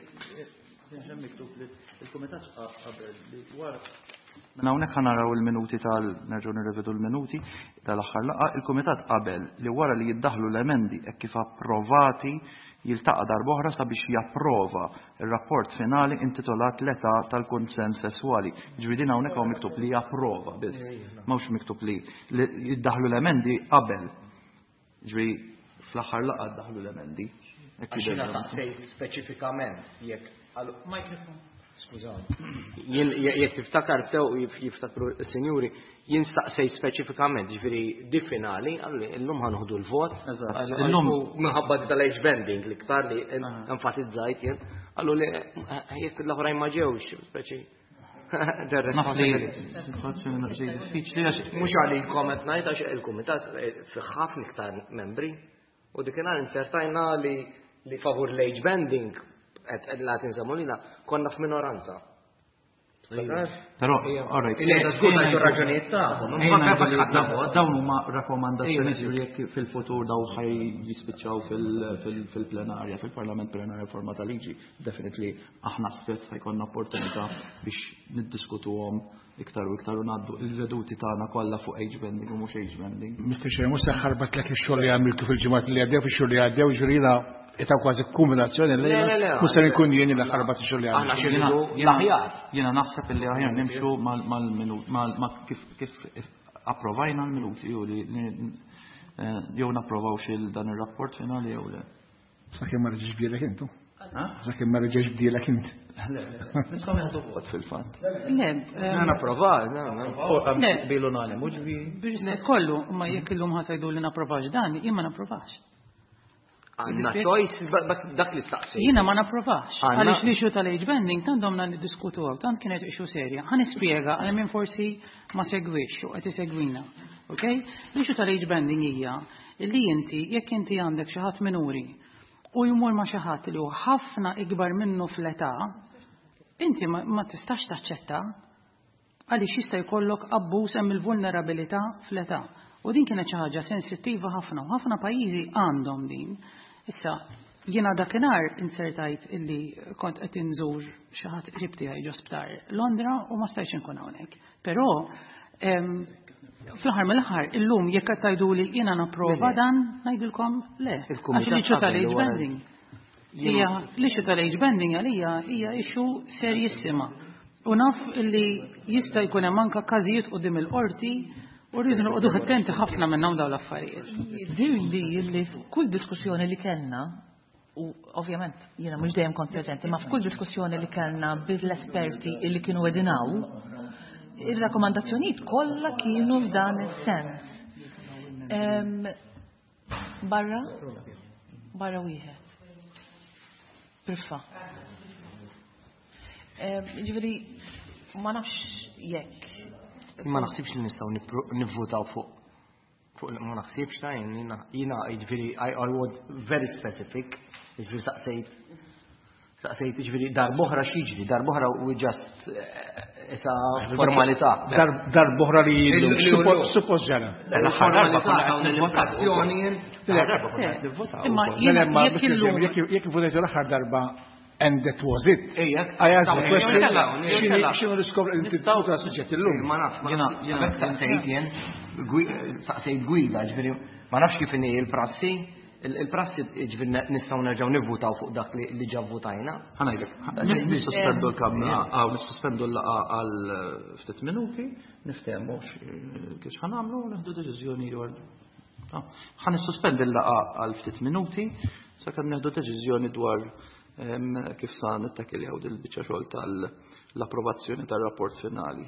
hemm miktub li il-kumitat qabel li wara Mela hawnhekk ħa naraw il-minuti tal nerġgħu nirrevedu l-minuti tal-aħħar laqgħa, il-kumitat qabel li wara li jiddaħlu l-emendi hekk kif approvati jiltaqa' darb'oħra sabiex japprova r-rapport finali intitolat L-età tal-kunsens sesswali. Jiġifieri din hawnhekk hawn miktub li japprova biss. M'hawnx miktub li jiddaħħlu l-emendi qabel. Jiġifieri fl-aħħar laqgħa ddaħħlu l-emendi. Għax jiena saqsejt speċifikament jekk Microphone. Skużawni. Jien jekk tiftakar sew jiftakru s-sinjuri, jien staqsejt speċifikament, ġifieri di finali, għalli illum ħanħdu l-vot. Illum minħabba tal-age bending li ktar li enfasizzajt jien, għallu li jekk l-oħrajn ma ġewx, speċi. Naf li situazzjoni naqsej diffiċli għax. Mhux għalikom qed ngħid għax il-kumitat fih ħafna iktar membri. U dikinhar inzertajna li li favur l-age bending qed la tinżammu lilha konna f'minoranza. Però, all right. Il-lejda żgur tajtu raġunijiet tagħhom. Dawn huma rakkomandazzjonijiet li jekk fil-futur daw ħaj jispiċċaw fil-plenarja, fil-Parlament plenarja forma ta' liġi, definitely aħna stess ħajkonna opportunità biex niddiskutuhom iktar u iktar u ngħaddu il-veduti tagħna kollha fuq age bending u mhux age bending. Mr. Chair, mhux se ħarbatlek ix-xogħol li għamiltu fil-ġimgħat li għaddew fix-xhur li għaddew, ġifieri ita kważi kombinazzjoni li mhux se nkun jien li ħarbat ix-xogħol li għamiltu. Aħna l-aħjar. Jiena naħseb illi aħjar nimxu mal-minut ma kif kif approvajna l-minuti u li jew napprovaw xil dan ir-rapport finali jew le. Sakemm ma reġgħex bdielek intu. Sakemm ma reġgħex bdielek int. Nistgħu nieħdu vot fil-fatt. Le, napprova, Le. Bilu unanimu ġifieri. Le, kollu, ma jekk illum ħa tgħidu li napprovax dan, jien ma napprovax. Għandna choice, dak li staqsi. Jiena ma napprovax. Għaliex l-issue tal-age banding tant domna niddiskutu għaw, tant kienet issue serja. Ħa nispjega għal min forsi ma segwix u qed isegwina. Ok? L-issue tal-age banding hija li inti jekk inti għandek xi ħadd minuri u jmur ma' xi ħadd li hu ħafna ikbar minnu fl-età, inti ma tistax taċċetta għaliex jista' jkollok abbuż hemm il-vulnerabilità fl-età. U din kienet xi ħaġa sensittiva ħafna u ħafna pajjiżi għandhom din. Issa, jiena dakinhar insertajt illi kont qed inżur xi ħadd qrib tiegħi ġo sptar Londra u ma stajtx inkun hawnhekk. Però fl-aħħar mill-aħħar illum jekk qed tgħiduli jiena napprova dan ngħidilkom le. Għax l-issue tal-age banding. Hija l-issue tal-age banding għalija hija issue serjissima. U naf illi jista' jkun hemm anke każijiet quddiem il-qorti u rridu noqogħdu attenti ħafna minnhom dawn l-affarijiet. Jidhirli li f'kull diskussjoni li kellna u ovvjament jiena mhux dejjem kont preżenti, ma f'kull diskussjoni li kellna bil-esperti illi kienu qegħdin hawn, Ir-rakkomandazzjonijiet kollha kienu f'dan is-sens. Barra? Barra wieħed. Priffa. Ġifieri ma nafx jekk. Ma naħsibx li nistgħu nivvutaw fuq fuq ma naħsibx ta' jiena jiġifieri I was very specific, jiġifieri saqsejt saqsejt jiġifieri darb'oħra x'jiġri, darb'oħra we just eh, isa formalità. Darb'oħra li suppost ġara. L-aħħar darba konna qed nivvotazzjoni. Imma jekk votajtu l-aħħar darba and that was it. I asked the question, xinu l-iskop li ta' suġġett illum? Ma nafx, jena saqsejt jen, saqsejt gwida, ġifieri, ma nafx kif inhi il-prassi, il-prassi ġifieri nistgħu nerġgħu nivvutaw fuq dak li ġa votajna. Ħanajdlek, nissospendu l-kamra, għaw nissospendu l-laqa għal ftit minuti, niftehmu kif ħanamlu u nieħdu deċiżjoni dwar. Ħa nissospendi l-laqa għal ftit minuti, sakemm nieħdu deċiżjoni dwar kif sa nittakiljaw dil-biċċa xogħol tal-approvazzjoni tar-rapport finali.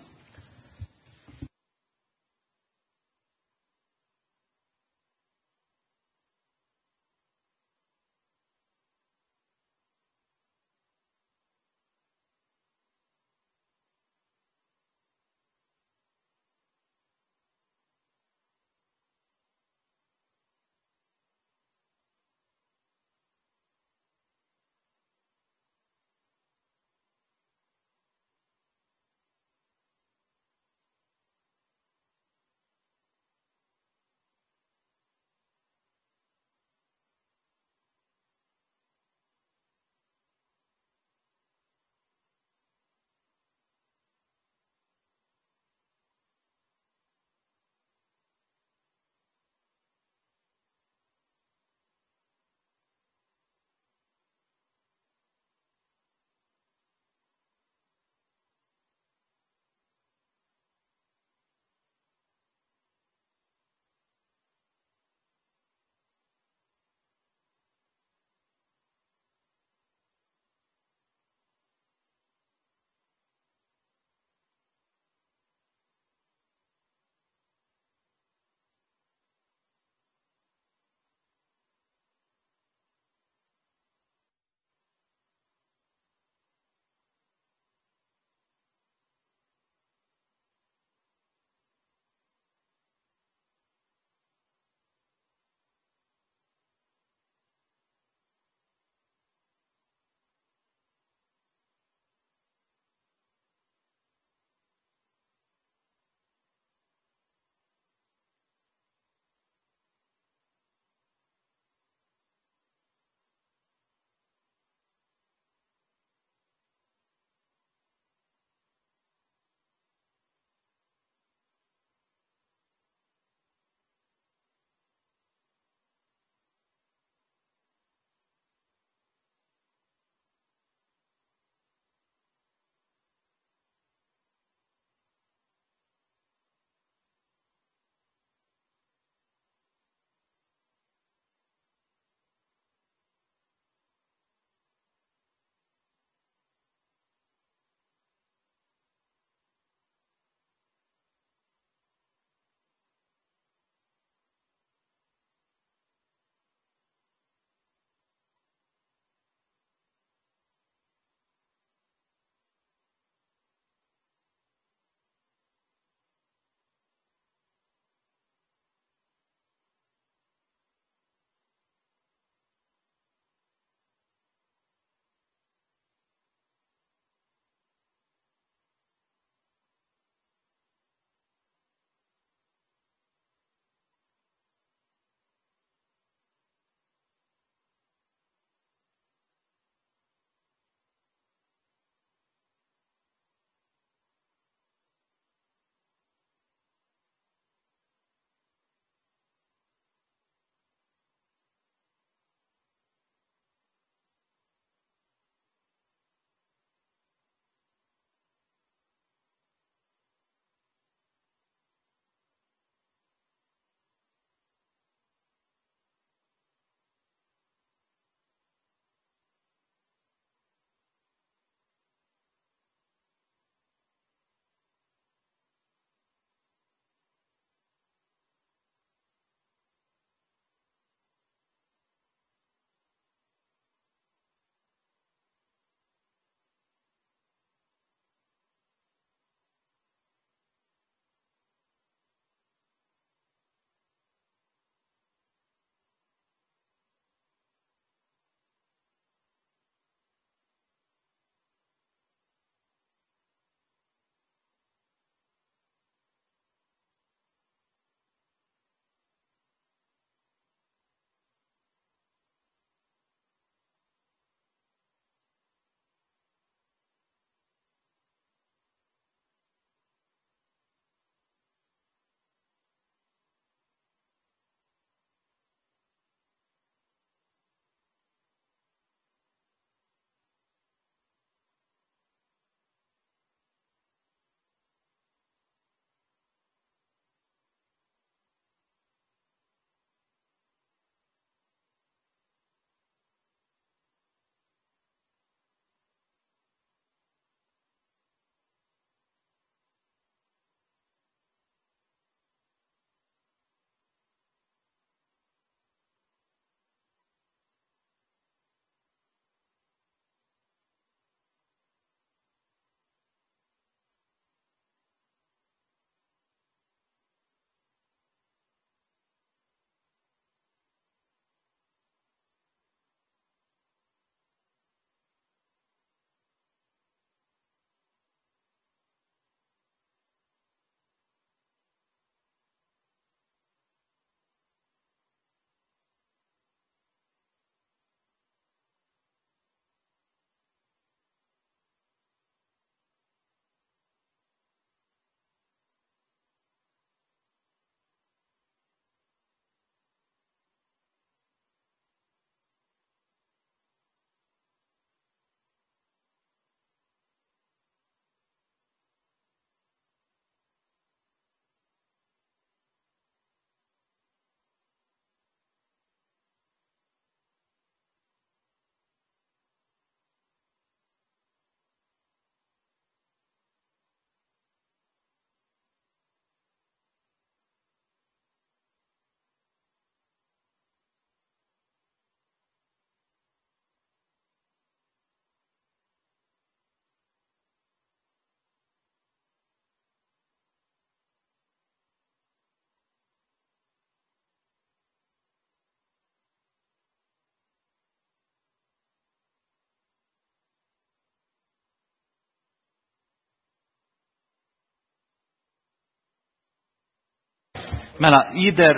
Mela, jidher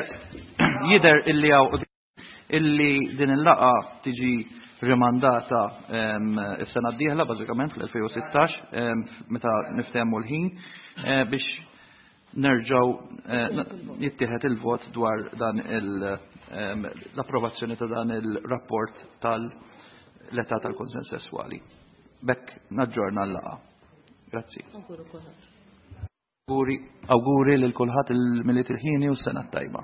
jidher illi hawn illi din il-laqgħa tiġi rimandata is-sena d-dieħla bażikament fl-2016 meta niftehmu l-ħin eh, biex nerġgħu eh, jittieħed il-vot dwar dan l-approvazzjoni ta' dan il-rapport tal-età tal-konsens sesswali. B'hekk naġġorna l-laqgħa. Grazzi. Auguri lil kulħadd il-Milied il-ħieni u s-sena t-tajba.